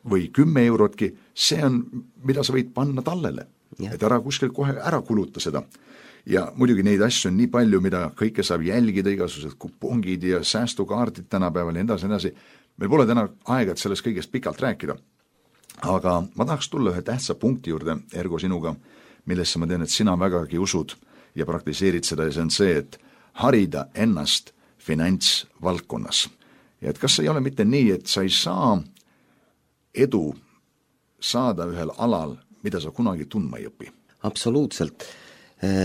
või 10 eurotki, see on, mida sa võid panna tallele. Et ära kuskil kohe ära kuluta seda. Ja muidugi neid asju on nii palju, mida kõike saab jälgida, igasugused kupongid ja säästukaardid tänapäeval ja edasi. Meil pole täna aega, et sellest kõigest pikalt rääkida. Aga ma tahaks tulla ühe tähtsa punkti juurde, Ergo, sinuga, millesse ma tean, et sina vägagi usud ja praktiseerid seda ja see on see, et harida ennast finantsvaldkonnas. Ja et kas see ei ole mitte nii, et sa ei saa edu saada ühel alal, mida sa kunagi tundma ei õpi? Absoluutselt.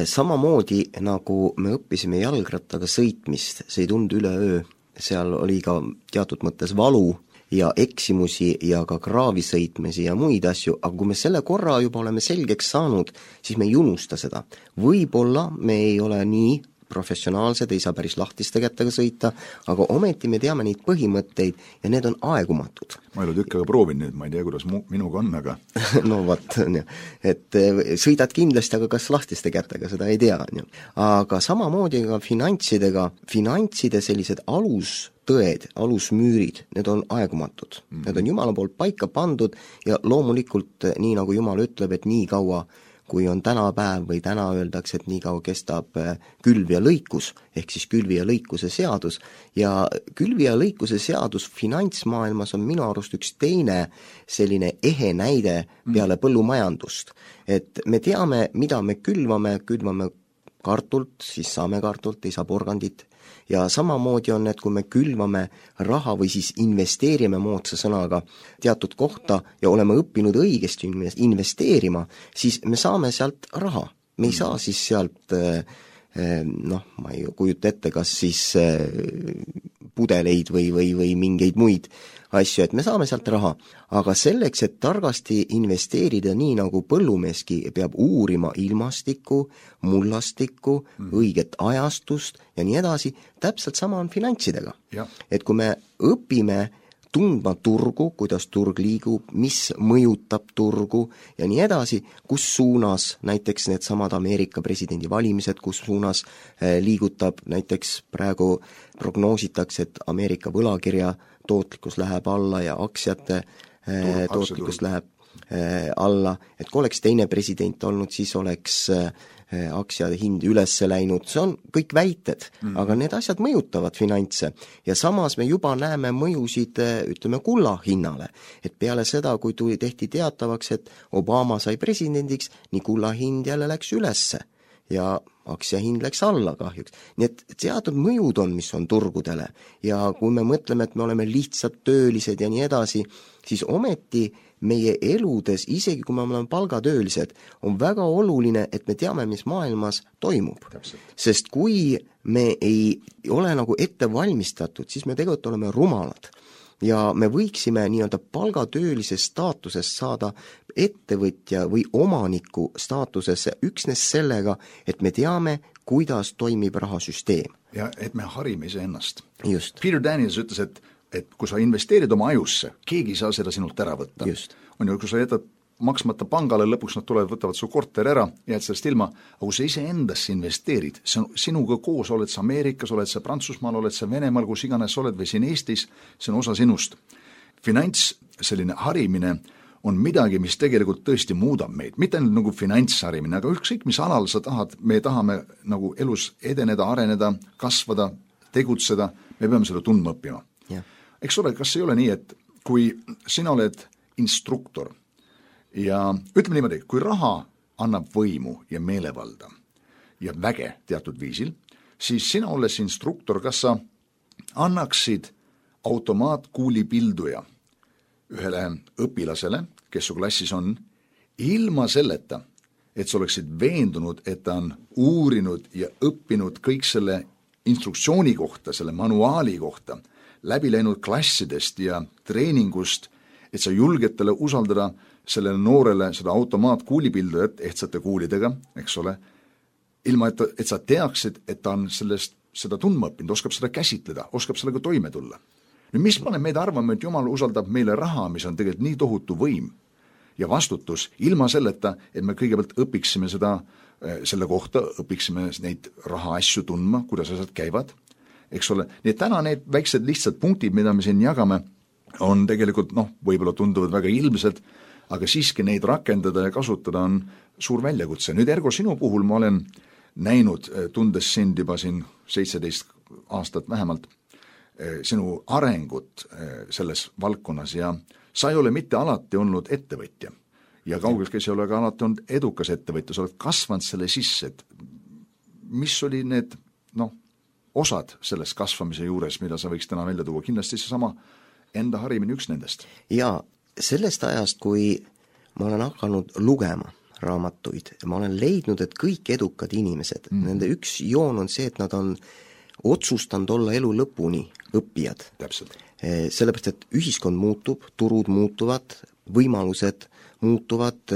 Samamoodi nagu me õppisime jalgrattaga sõitmist, see ei tundu üleöö, seal oli ka teatud mõttes valu ja eksimusi ja ka kraavisõitmisi ja muid asju, aga kui me selle korra juba oleme selgeks saanud, siis me ei unusta seda. Võib-olla me ei ole nii professionaalsed, ei saa päris lahtiste kätega sõita, aga ometi me teame neid põhimõtteid ja need on aegumatud. Ma ei ole tükkaga proovin nüüd, ma ei tea, kuidas minuga on, aga no vat, et sõidad kindlasti, aga kas lahtiste kätega, seda ei tea. Aga samamoodi ka finantside sellised alustõed, alusmüürid, need on aegumatud. Need on Jumala poolt paika pandud ja loomulikult, nii nagu Jumal ütleb, et nii kaua kui on tänapäev või täna öeldakse, et nii kaua kestab külv ja lõikus, ehk siis külvi ja lõikuse seadus. Ja külvi ja lõikuse seadus finantsmaailmas on minu arust üks teine selline ehe näide peale põllumajandust. Et me teame, mida me külvame kartult, siis saame kartult, ei saa porgandit. Ja samamoodi on, et kui me külvame raha või siis investeerime moodsa sõnaga teatud kohta ja oleme õppinud õigesti investeerima, siis me saame sealt raha. Me ei saa siis sealt ma ei kujuta ette, kas siis pudeleid või mingeid muid asju, et me saame sealt raha, aga selleks, et targasti investeerida nii nagu põllumeeski, peab uurima ilmastikku, mullastikku, õiget ajastust ja nii edasi, täpselt sama on finantsidega. Et kui me õpime tundma turgu, kuidas turg liigub, mis mõjutab turgu ja nii edasi, kus suunas näiteks need samad Ameerika presidendi valimised, kus suunas liigutab näiteks praegu prognoositakse, et Ameerika võlakirja tootlikkus läheb alla ja aktsiate tootlikkus läheb alla, et kui oleks teine president olnud, siis oleks aktsiade hind üles läinud, see on kõik väited, aga need asjad mõjutavad finantse ja samas me juba näeme mõjusid, ütleme, kulla hinnale, et peale seda, kui tehti teatavaks, et Obama sai presidendiks, nii kulla hind jälle läks ülesse ja aktsiahind läks alla kahjuks. Nii et teatud mõjud on, mis on turgudele ja kui me mõtleme, et me oleme lihtsalt töölised ja nii edasi, siis ometi meie eludes, isegi kui me oleme palgatöölised, on väga oluline, et me teame, mis maailmas toimub. Sest kui me ei ole nagu ette valmistatud, siis me tegelikult oleme rumalad. Ja me võiksime nii-öelda palgatöölise staatusest saada ettevõtja või omaniku staatusesse üksnes sellega, et me teame, kuidas toimib rahasüsteem. Ja et me harime iseennast. Just. Peter Daniels ütles, et kui sa investeerid oma ajusse, keegi ei saa seda sinult ära võtta. On ju, kui sa jätad maksmata pangale, lõpuks nad tulevad, võtavad su korter ära, jääd sellest ilma, aga kui sa ise endasse investeerid, sinuga koos oled sa Ameerikas, oled sa Prantsusmaal, oled sa Venemaal, kus iganes oled või siin Eestis, see on osa sinust. Finants, selline harimine on midagi, mis tegelikult tõesti muudab meid, mitte ainult nagu finantsharimine, aga ükskõik mis alal sa tahad, me tahame nagu elus edeneda, areneda, kasvada, tegutseda, me peame seda tundma õppima. Eks ole, kas ei ole nii, et kui sina oled instruktor ja ütleme niimoodi, kui raha annab võimu ja meelevalda ja väge teatud viisil, siis sina olles instruktor, kas sa annaksid automaatkuulipilduja ühele õpilasele, kes su klassis on, ilma selleta, et sa oleksid veendunud, et ta on uurinud ja õppinud kõik selle instruktsiooni kohta, selle manuaali kohta, läbi läinud klassidest ja treeningust, et sa julged talle usaldada sellele noorele seda automaatkuulipildujat ehtsate kuulidega, eks ole, ilma et sa teaksid, et ta on seda tundma õppinud, oskab seda käsitleda, oskab sellega toime tulla. Nüüd, mis paneb meid arvama, et Jumal usaldab meile raha, mis on tegelikult nii tohutu võim ja vastutus, ilma selleta, et me kõigepealt õpiksime selle kohta, õpiksime neid raha asju tundma, kuidas asjad käivad, eks ole. Nii et täna need väiksed lihtsad punktid, mida me siin jagame, on tegelikult, võib-olla tunduvad väga ilmsed, aga siiski neid rakendada ja kasutada on suur väljakutse. Nüüd Ergo, sinu puhul ma olen näinud, tundes sind juba siin 17 aastat vähemalt, sinu arengut selles valdkonnas ja sa ei ole mitte alati olnud ettevõtja ja kaugeltki ei ole ka alati olnud edukas ettevõtja, sa oled kasvanud selle sisse, et mis oli need osad selles kasvamise juures, mida sa võiks täna välja tuua, kindlasti see sama enda harimine üks nendest. Ja sellest ajast, kui ma olen hakanud lugema raamatuid, ma olen leidnud, et kõik edukad inimesed, nende üks joon on see, et nad on otsustanud olla elu lõpuni õppijad. Täpselt. Sellepärast, et ühiskond muutub, turud muutuvad, võimalused muutuvad,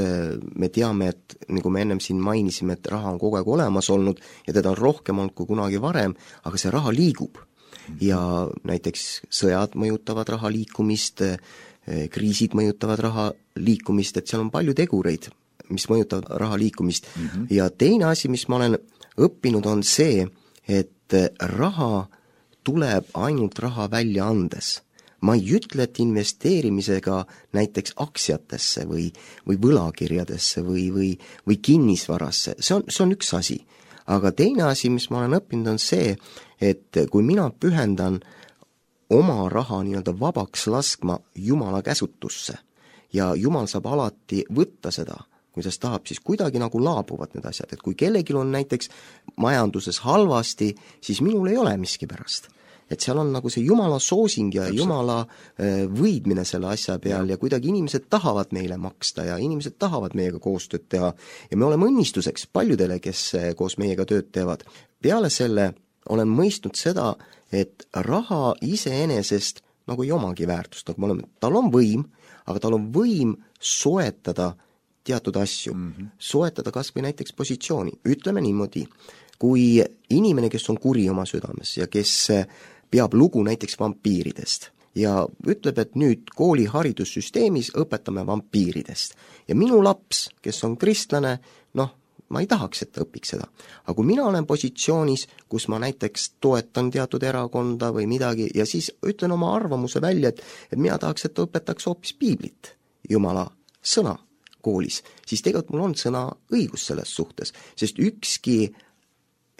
me teame, et nagu me ennem siin mainisime, et raha on kogu aeg olemas olnud ja teda on rohkem olnud kui kunagi varem, aga see raha liigub. Ja näiteks sõjad mõjutavad raha liikumist, kriisid mõjutavad raha liikumist, et seal on palju tegureid, mis mõjutavad raha liikumist. Ja teine asi, mis ma olen õppinud, on see, et raha tuleb ainult raha välja andes. Ma ei ütle, et investeerimisega näiteks aktsiatesse või võlakirjadesse või kinnisvarasse, see on üks asi. Aga teine asi, mis ma olen õppinud, on see, et kui mina pühendan oma raha nii-öelda vabaks laskma Jumala käsutusse ja Jumal saab alati võtta seda, kuidas tahab, siis kuidagi nagu laabuvad need asjad, et kui kellelgi on näiteks majanduses halvasti, siis minul ei ole miskipärast. Et seal on nagu see jumala soosing ja jumala võidmine selle asja peal ja kuidagi inimesed tahavad meile maksta ja inimesed tahavad meiega koostööd teha ja me oleme õnnistuseks paljudele, kes koos meiega tööd teevad. Peale selle olen mõistnud seda, et raha iseenesest nagu ei omagi väärtust, nagu me oleme, tal on võim, aga tal on võim soetada teatud asju, soetada kas või näiteks positsiooni. Ütleme niimoodi, kui inimene, kes on kuri oma südames ja kes peab lugu näiteks vampiiridest ja ütleb, et nüüd kooli haridussüsteemis õpetame vampiiridest. Ja minu laps, kes on kristlane, noh, ma ei tahaks, et ta õpiks seda. Aga kui mina olen positsioonis, kus ma näiteks toetan teatud erakonda või midagi ja siis ütlen oma arvamuse välja, et mina tahaks, et ta õpetaks hoopis piiblit, jumala sõna koolis, siis tegelikult mul on sõna õigus selles suhtes, sest ükski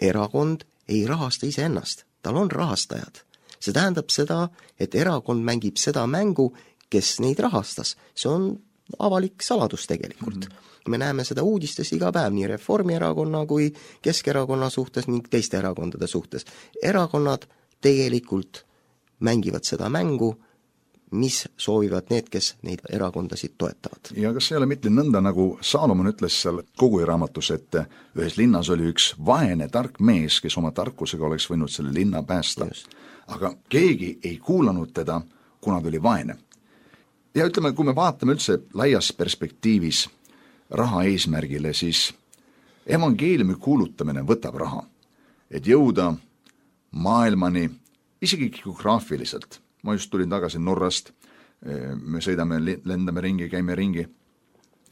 erakond ei rahasta iseennast. Tal on rahastajad. See tähendab seda, et erakond mängib seda mängu, kes neid rahastas. See on avalik saladus tegelikult. Me näeme seda uudistes iga päev, nii Reformierakonna kui Keskerakonna suhtes ning teiste erakondade suhtes. Erakonnad tegelikult mängivad seda mängu, mis soovivad need, kes neid erakondasid toetavad. Ja kas ei ole mitte nõnda, nagu Saalomon ütles seal Koguja raamatus, et ühes linnas oli üks vaene tark mees, kes oma tarkusega oleks võinud selle linna päästa. Just. Aga keegi ei kuulanud teda, kuna ta oli vaene. Ja ütleme, kui me vaatame üldse laias perspektiivis raha eesmärgile, siis evangeeliumi kuulutamine võtab raha, et jõuda maailmani isegi geograafiliselt. Ma just tulin tagasi Norrast, me sõidame, lendame ringi, käime ringi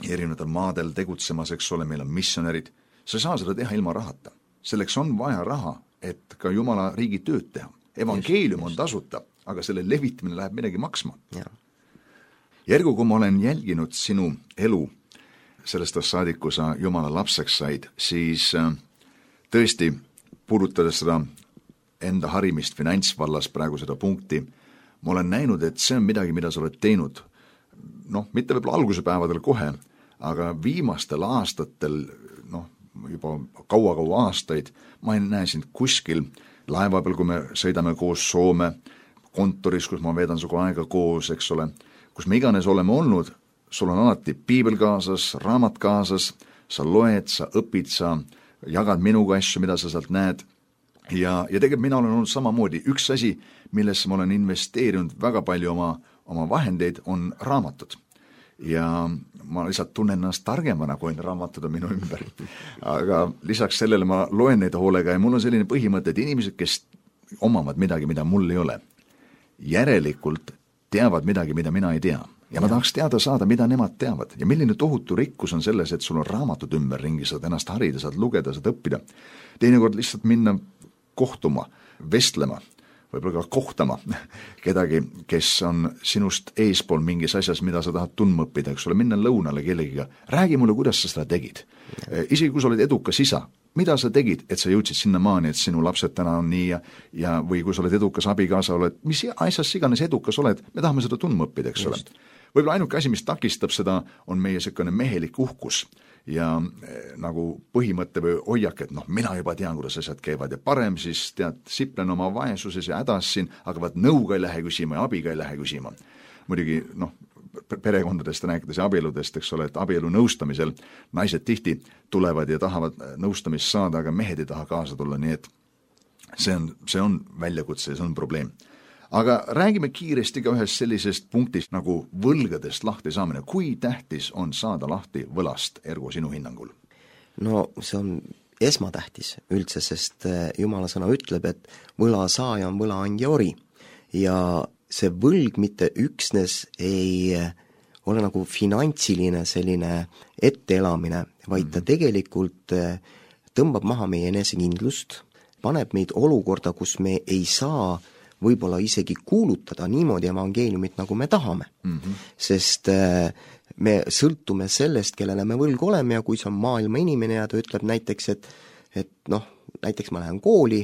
erinevatel maadel tegutsemas, eks ole, meil on missionärid. Sa ei saa seda teha ilma rahata. Selleks on vaja raha, et ka Jumala riigi tööd teha. Evangeelium on tasuta, aga selle levitamine läheb midagi maksma. Järgu, kui ma olen jälginud sinu elu sellest saadik, kui sa Jumala lapseks said, siis tõesti puudutades seda enda harimist finantsvallas praegu seda punkti, ma olen näinud, et see on midagi, mida sa oled teinud, noh, mitte võib-olla alguse päevadel kohe, aga viimastel aastatel, noh, juba kaua aastaid, ma ei näe sind kuskil laeva peal, kui me sõidame koos Soome, kontoris, kus ma veedan sinuga aega koos, eks ole, kus me iganes oleme olnud, sul on alati piibel kaasas, raamat kaasas, sa loed, sa õpid, sa jagad minuga asju, mida sa sealt näed. Ja tegelikult mina olen olnud samamoodi. Üks asi, millesse ma olen investeerinud väga palju oma vahendeid, on raamatud. Ja ma lihtsalt tunnen ennast targemana, kui on raamatud minu ümber. Aga lisaks sellele ma loen neid hoolega ja mul on selline põhimõte, et inimesed, kes omavad midagi, mida mul ei ole, järelikult teavad midagi, mida mina ei tea. Ja ma tahaks teada saada, mida nemad teavad. Ja milline tohutu rikkus on selles, et sul on raamatud ümberringi, saad ennast harida, saad lugeda, saad õppida. Teinekord lihtsalt minna kohtuma, vestlema, võib-olla ka kohtama kedagi, kes on sinust eespool mingis asjas, mida sa tahad tundma õppida, eks ole, minna lõunale kellegiga. Räägi mulle, kuidas sa seda tegid. Isegi kui sa oled edukas isa, mida sa tegid, et sa jõudsid sinna maani, et sinu lapsed täna on nii ja või kui sa oled edukas abikaasa, oled, mis asjas iganes edukas oled, me tahame seda tundma õppida, eks ole. Võib-olla ainuke asi, mis takistab seda, on meie selline mehelik uhkus ja nagu põhimõtte või hoiak, et noh, mina juba tean, kuidas asjad käivad ja parem siis tead, siplen oma vaesuses ja hädas siin, aga vaat nõuga ei lähe küsima ja abiga ei lähe küsima. Muidugi, noh, perekondadest rääkides ja abieludest, eks ole, et abielu nõustamisel naised tihti tulevad ja tahavad nõustamist saada, aga mehed ei taha kaasa tulla, nii et see on väljakutse ja see on probleem. Aga räägime kiiresti ka ühest sellisest punktist nagu võlgadest lahti saamine. Kui tähtis on saada lahti võlast, Ergo, sinu hinnangul? No see on esmatähtis üldse, sest Jumala sõna ütleb, et võla saaja on võlaandja ori ja see võlg mitte üksnes ei ole nagu finantsiline selline etteelamine, vaid ta tegelikult tõmbab maha meie enesekindlust, paneb meid olukorda, kus me ei saa võib-olla isegi kuulutada niimoodi evangeeliumit, nagu me tahame. Sest me sõltume sellest, kellele me võlgu oleme ja kui see on maailma inimene ja ta ütleb näiteks, et noh, näiteks ma lähen kooli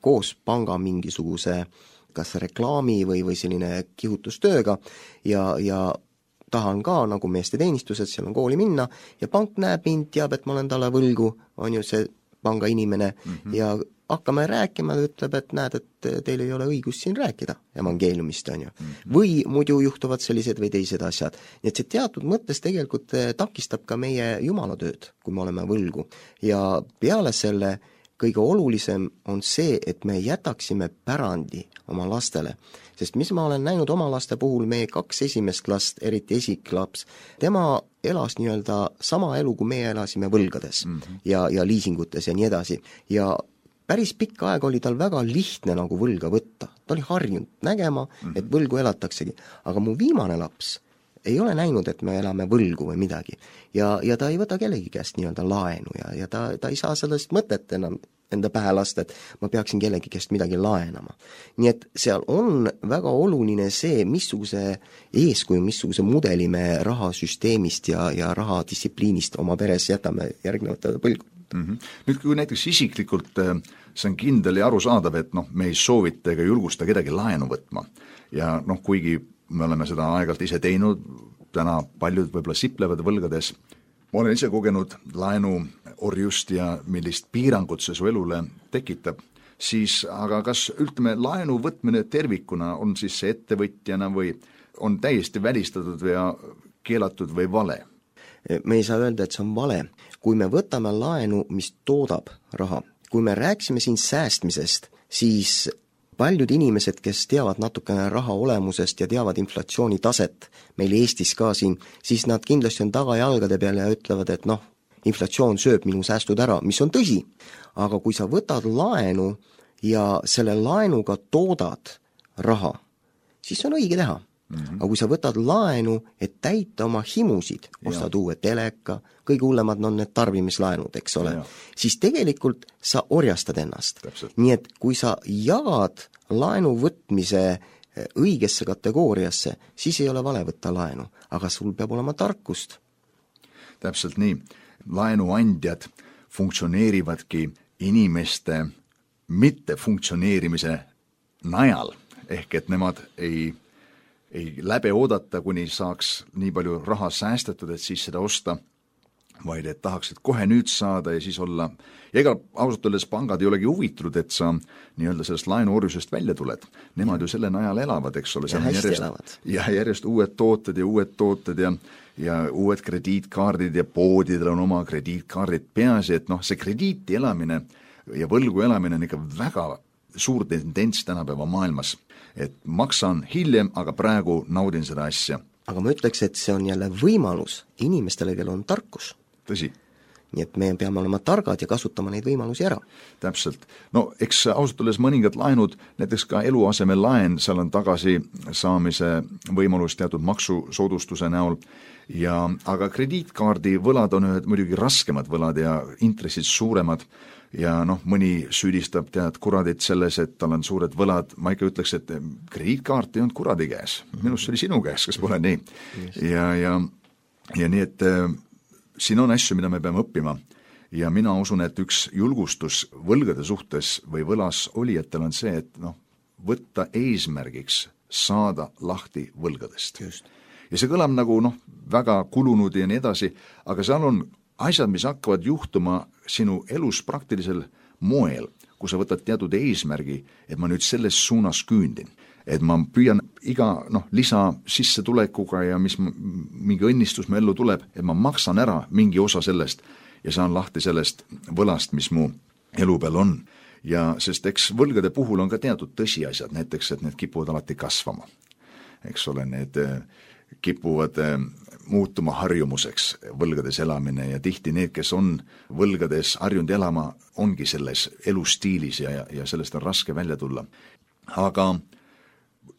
koos panga mingisuguse kas reklaami või selline kihutustööga ja tahan ka nagu meesteteenistused, seal on kooli minna ja pank näeb mind, teab, et ma olen talle võlgu, on ju see panga inimene ja hakkame rääkima, ta ütleb, et näed, et teil ei ole õigust siin rääkida evangeeliumist, on ju. Või muidu juhtuvad sellised või teised asjad. Nii et see teatud mõttes tegelikult takistab ka meie jumalatööd, kui me oleme võlgu. Ja peale selle kõige olulisem on see, et me jätaksime pärandi oma lastele. Sest mis ma olen näinud oma laste puhul, meie 2 esimest last, eriti esiklaps, tema elas nii-öelda sama elu, kui meie elasime võlgades ja liisingutes ja nii edasi. Ja päris pikka aega oli tal väga lihtne nagu võlga võtta. Ta oli harjunud nägema, et võlgu elataksegi. Aga mu viimane laps ei ole näinud, et me elame võlgu või midagi. Ja ta ei võta kellegi käest nii-öelda laenu ja ta ei saa sellest mõtet enam enda pähe lasta, et ma peaksin kellegi käest midagi laenama. Nii et seal on väga oluline see, missuguse eeskuju, missuguse mudeli me rahasüsteemist ja rahadistsipliinist oma peres jätame järgnevatele põlgudele. Nüüd kui näiteks isiklikult see on kindel ja arusaadav, et me ei soovita ega julgusta kedagi laenu võtma ja kuigi me oleme seda aegalt ise teinud, täna paljud võib-olla siplevad võlgades, ma olen ise kogenud laenuorjust ja millist piirangut see su elule tekitab, siis aga kas ütleme laenu võtmine tervikuna on siis see ettevõtjana või on täiesti välistatud või keelatud või vale? Me ei saa öelda, et see on vale. Kui me võtame laenu, mis toodab raha, kui me rääksime siin säästmisest, siis paljud inimesed, kes teavad natukene raha olemusest ja teavad inflatsiooni taset meil Eestis ka siin, siis nad kindlasti on tagajalgade peal ja ütlevad, et inflatsioon sööb minu säästud ära, mis on tõsi. Aga kui sa võtad laenu ja selle laenuga toodad raha, siis on õige teha. Aga kui sa võtad laenu, et täita oma himusid, ostad uue teleka, kõige hullemad on need tarbimislaenud, eks ole, siis tegelikult sa orjastad ennast. Täpselt. Nii et kui sa jagad laenu võtmise õigesse kategooriasse, siis ei ole vale võtta laenu, aga sul peab olema tarkust. Täpselt nii. Laenuandjad funktsioneerivadki inimeste mittefunktsioneerimise najal, ehk et nemad ei läbi oodata, kuni saaks nii palju raha säästetud, et siis seda osta, vaid et tahaksid kohe nüüd saada ja siis olla. Ja ega ausalt öeldes pangad ei olegi huvitunud, et sa nii-öelda sellest laenuorjusest välja tuled. Nemad ju selle najal elavad, eks ole. Ja hästi elavad. Ja järjest uued tooted ja uued krediitkaardid ja poodidel on oma krediitkaardid peasi, et see krediiti elamine ja võlgu elamine on ikka väga suur tendents tänapäeva maailmas. Et maksan hiljem, aga praegu naudin seda asja. Aga ma ütleks, et see on jälle võimalus inimestele, kel on tarkus. Tõsi. Nii et me peame olema targad ja kasutama neid võimalusi ära. Täpselt. Eks ausalt olles mõningad laenud, näiteks ka eluaseme laen, seal on tagasi saamise võimalus teatud maksusoodustuse näol, aga krediitkaardi võlad on ühed muidugi raskemad võlad ja intressid suuremad ja mõni süüdistab kuradit selles, et tal on suured võlad. Ma ikka ütleks, et krediitkaart ei olnud kuradi käes. Minust see oli sinu käes, kas pole nii? Ja nii, et siin on asju, mida me peame õppima ja mina usun, et üks julgustus võlgade suhtes või võlas olijatel on see, et võtta eesmärgiks saada lahti võlgadest. Just. Ja see kõlab nagu väga kulunud ja nii edasi, aga seal on asjad, mis hakkavad juhtuma sinu elus praktilisel moel, kui sa võtad teatud eesmärgi, et ma nüüd selles suunas küündin. Et ma püüan iga lisa sissetulekuga ja mis mingi õnnistus mu ellu tuleb, et ma maksan ära mingi osa sellest ja saan lahti sellest võlast, mis mu elu peal on. Ja sest eks võlgade puhul on ka teatud tõsiasjad, näiteks, et need kipuvad alati kasvama. Eks ole, need kipuvad muutuma harjumuseks võlgades elamine ja tihti need, kes on võlgades harjunud elama, ongi selles elustiilis ja sellest on raske välja tulla. Aga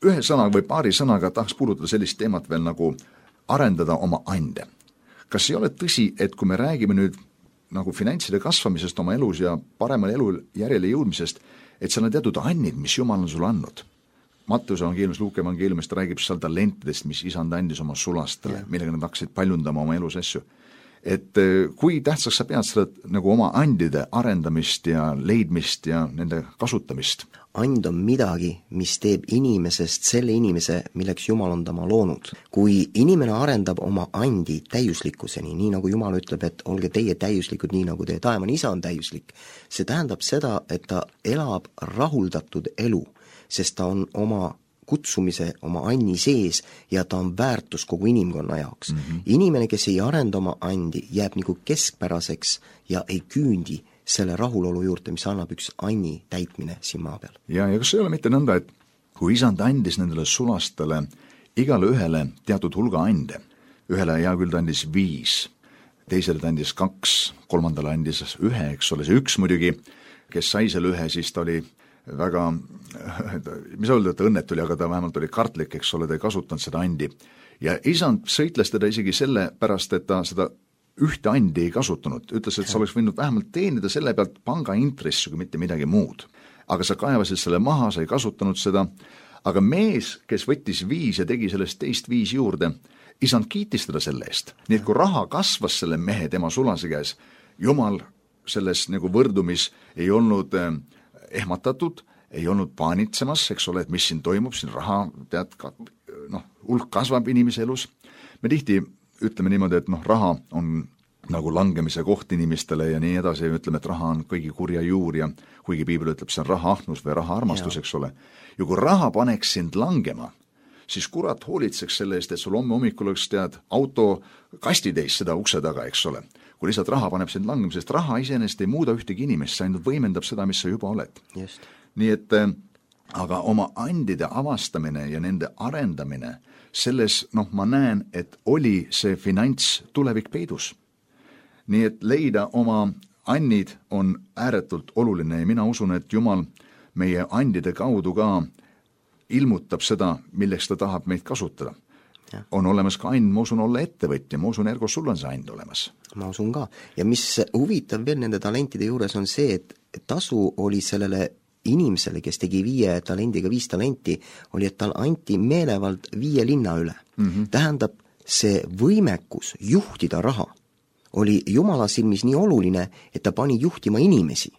ühe sõna või paari sõnaga tahaks puudutada sellist teemat veel nagu arendada oma ande. Kas ei ole tõsi, et kui me räägime nüüd nagu finantside kasvamisest oma elus ja paremal elu järjele jõudmisest, et seal on teatud annid, mis Jumal on sulle andnud? Matteuse evangeeliumis, Luuke evangeeliumist räägib seal talentidest, mis isand andis oma sulastele, millega nad hakkasid paljundama oma elus asju. et kui tähtsaks sa pead seda nagu oma andide arendamist ja leidmist ja nende kasutamist? And on midagi, mis teeb inimesest selle inimese, milleks Jumal on tema loonud. Kui inimene arendab oma andi täiuslikkuseni, nii nagu Jumal ütleb, et olge teie täiuslikud, nii nagu teie taevane isa on täiuslik, see tähendab seda, et ta elab rahuldatud elu, sest ta on oma kutsumise oma anni sees ja ta on väärtus kogu inimkonna jaoks. Inimene, kes ei arenda oma andi, jääb nagu keskpäraseks ja ei küündi selle rahulolu juurde, mis annab üks anni täitmine siin maa peal. Ja kas ei ole mitte nõnda, et kui isand andis nendele sulastele igale ühele teatud hulga ande, ühele hea küll ta andis 5, teisele ta andis 2, kolmandale andis 1, eks ole, see 1 muidugi, kes sai selle 1, siis ta oli väga, mis öelda, et õnnet oli, aga ta vähemalt oli kartlik, eks ole, ta ei kasutanud seda andi. Ja isand sõitles teda isegi selle pärast, et ta seda ühte andi ei kasutanud, ütles, et sa oleks võinud vähemalt teenida selle pealt panga intressi, kui mitte midagi muud. Aga sa kaevasid selle maha, sa ei kasutanud seda, aga mees, kes võttis 5 ja tegi sellest teist 5 juurde, isand kiitis teda selle eest. Nii et kui raha kasvas selle mehe tema sulase käes, Jumal selles nagu võrdumis ei olnud ehmatatud, ei olnud paanitsemas, eks ole, et mis siin toimub, siin raha, tead, hulk kasvab inimese elus. Me tihti ütleme niimoodi, et raha on nagu langemise koht inimestele ja nii edasi, ja ütleme, et raha on kõigi kurja juur ja kuigi piibel ütleb, see on raha ahnus või raha armastus, eks ole. Ja kui raha paneks sind langema, siis kurat hoolitseks selle eest, et sul hommikul oleks tead auto kastitäis seda ukse taga, eks ole. Kui lihtsalt raha paneb sind langema, sest raha iseenesest ei muuda ühtegi inimest, see ainult võimendab seda, mis sa juba oled. Just. Nii et aga oma andide avastamine ja nende arendamine, selles, ma näen, et oli see finants tulevik peidus. Nii et leida oma annid on ääretult oluline ja mina usun, et Jumal meie andide kaudu ka ilmutab seda, milleks ta tahab meid kasutada. Ja. On olemas ka and, ma usun olla ettevõtja, ma usun, Ergo, sul on see and olemas. Ma usun ka. Ja mis huvitav veel nende talentide juures on see, et tasu oli sellele inimesele, kes tegi 5 talendiga 5 talenti, oli, et tal anti meelevald 5 linna üle. Tähendab, see võimekus juhtida raha oli Jumala silmis nii oluline, et ta pani juhtima inimesi.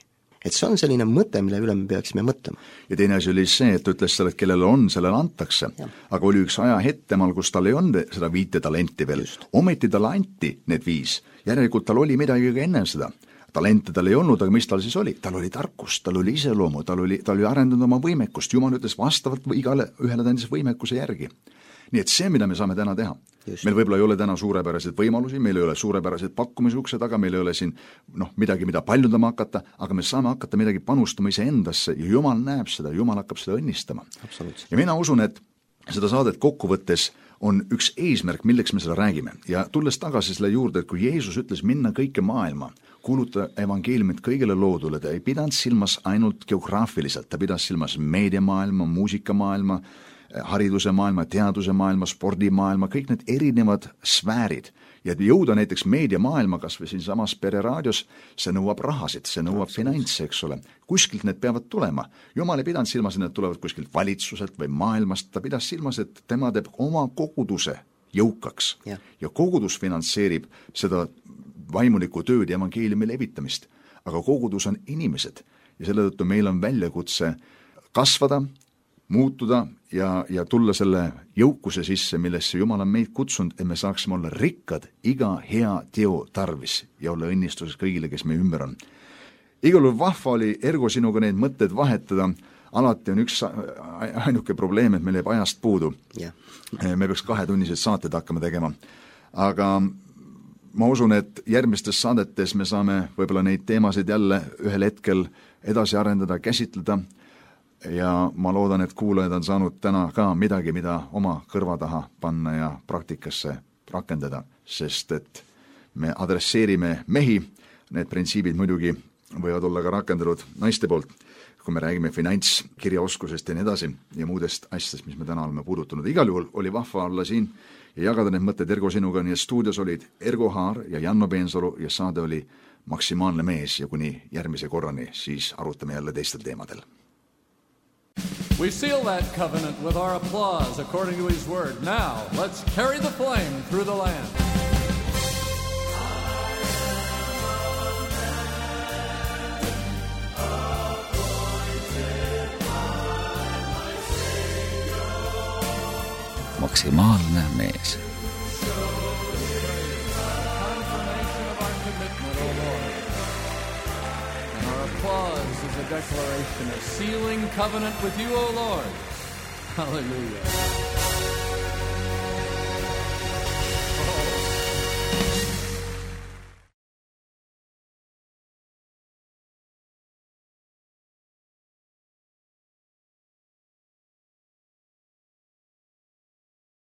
Et see on selline mõte, mille üle me peaksime mõtlema. Ja teine asi oli see, et ütles selle, et kellele on, sellele antakse. Ja. Aga oli üks ajahetk temal, kus tal ei olnud seda 5 talenti veel. Ometi tal anti need 5. Järelikult tal oli midagi ka enne seda. Talente tal ei olnud, aga mis tal siis oli? Tal oli tarkus, tal oli iseloomu, tal oli arendanud oma võimekust. Jumal ütles vastavalt igale ühele tähendis võimekuse järgi. Nii et see, mida me saame täna teha. Just. Meil võib-olla ei ole täna suurepäraseid võimalusi, meil ei ole suurepäraseid pakkumisukse taga, meil ei ole siin midagi, mida paljundama hakata, aga me saame hakata midagi panustama iseendasse ja Jumal näeb seda, Jumal hakkab seda õnnistama. Ja mina usun, et seda saadet kokkuvõttes on üks eesmärk, milleks me seda räägime. Ja tulles tagasi selle juurde, et kui Jeesus ütles minna kõike maailma, kuuluta evangeeliumit kõigile loodule, ta ei pidanud silmas ainult geograafiliselt, ta pidas silmas meediamaailma, muusikamaailma, hariduse maailma, teaduse maailma, spordimaailma, kõik need erinevad sfäärid. Ja jõuda näiteks meediamaailma, kas või siin samas pereraadios, see nõuab rahasid, see nõuab finantse, eks ole. Kuskilt need peavad tulema. Jumal ei pidanud silmas, et need tulevad kuskilt valitsuselt või maailmast, ta pidas silmas, et tema teeb oma koguduse jõukaks. Ja kogudus finantseerib seda vaimulikku tööd ja evangeeliumi levitamist. Aga kogudus on inimesed ja selle tõttu meil on väljakutse kasvada, muutuda ja tulla selle jõukuse sisse, millesse Jumal on meid kutsunud, et me saaksime olla rikkad iga hea teo tarvis ja olla õnnistuses kõigile, kes meie ümber on. Igal juhul vahva oli Ergo sinuga neid mõtteid vahetada. Alati on üks ainuke probleem, et meil jääb ajast puudu. Me peaks 2-tunnised saated hakkama tegema. Aga ma usun, et järgmistes saadetes me saame võib-olla neid teemasid jälle ühel hetkel edasi arendada, käsitleda. Ja ma loodan, et kuulajad on saanud täna ka midagi, mida oma kõrva taha panna ja praktikasse rakendada, sest et me adresseerime mehi, need printsiibid muidugi võivad olla ka rakendatud naiste poolt, kui me räägime finantskirjaoskusest ja nii edasi ja muudest asjadest, mis me täna oleme puudutanud. Igal juhul oli vahva olla siin ja jagada need mõtted Ergo sinuga, nii et stuudios olid Ergo Haar ja Janno Peensalu ja saade oli Maksimaalne mees ja kuni järgmise korrani siis arutame jälle teistel teemadel. We seal that covenant with our applause according to his word. Now, let's carry the flame through the land. maksimaalne mees. Applause is a declaration of sealing covenant with you, O Lord. Hallelujah.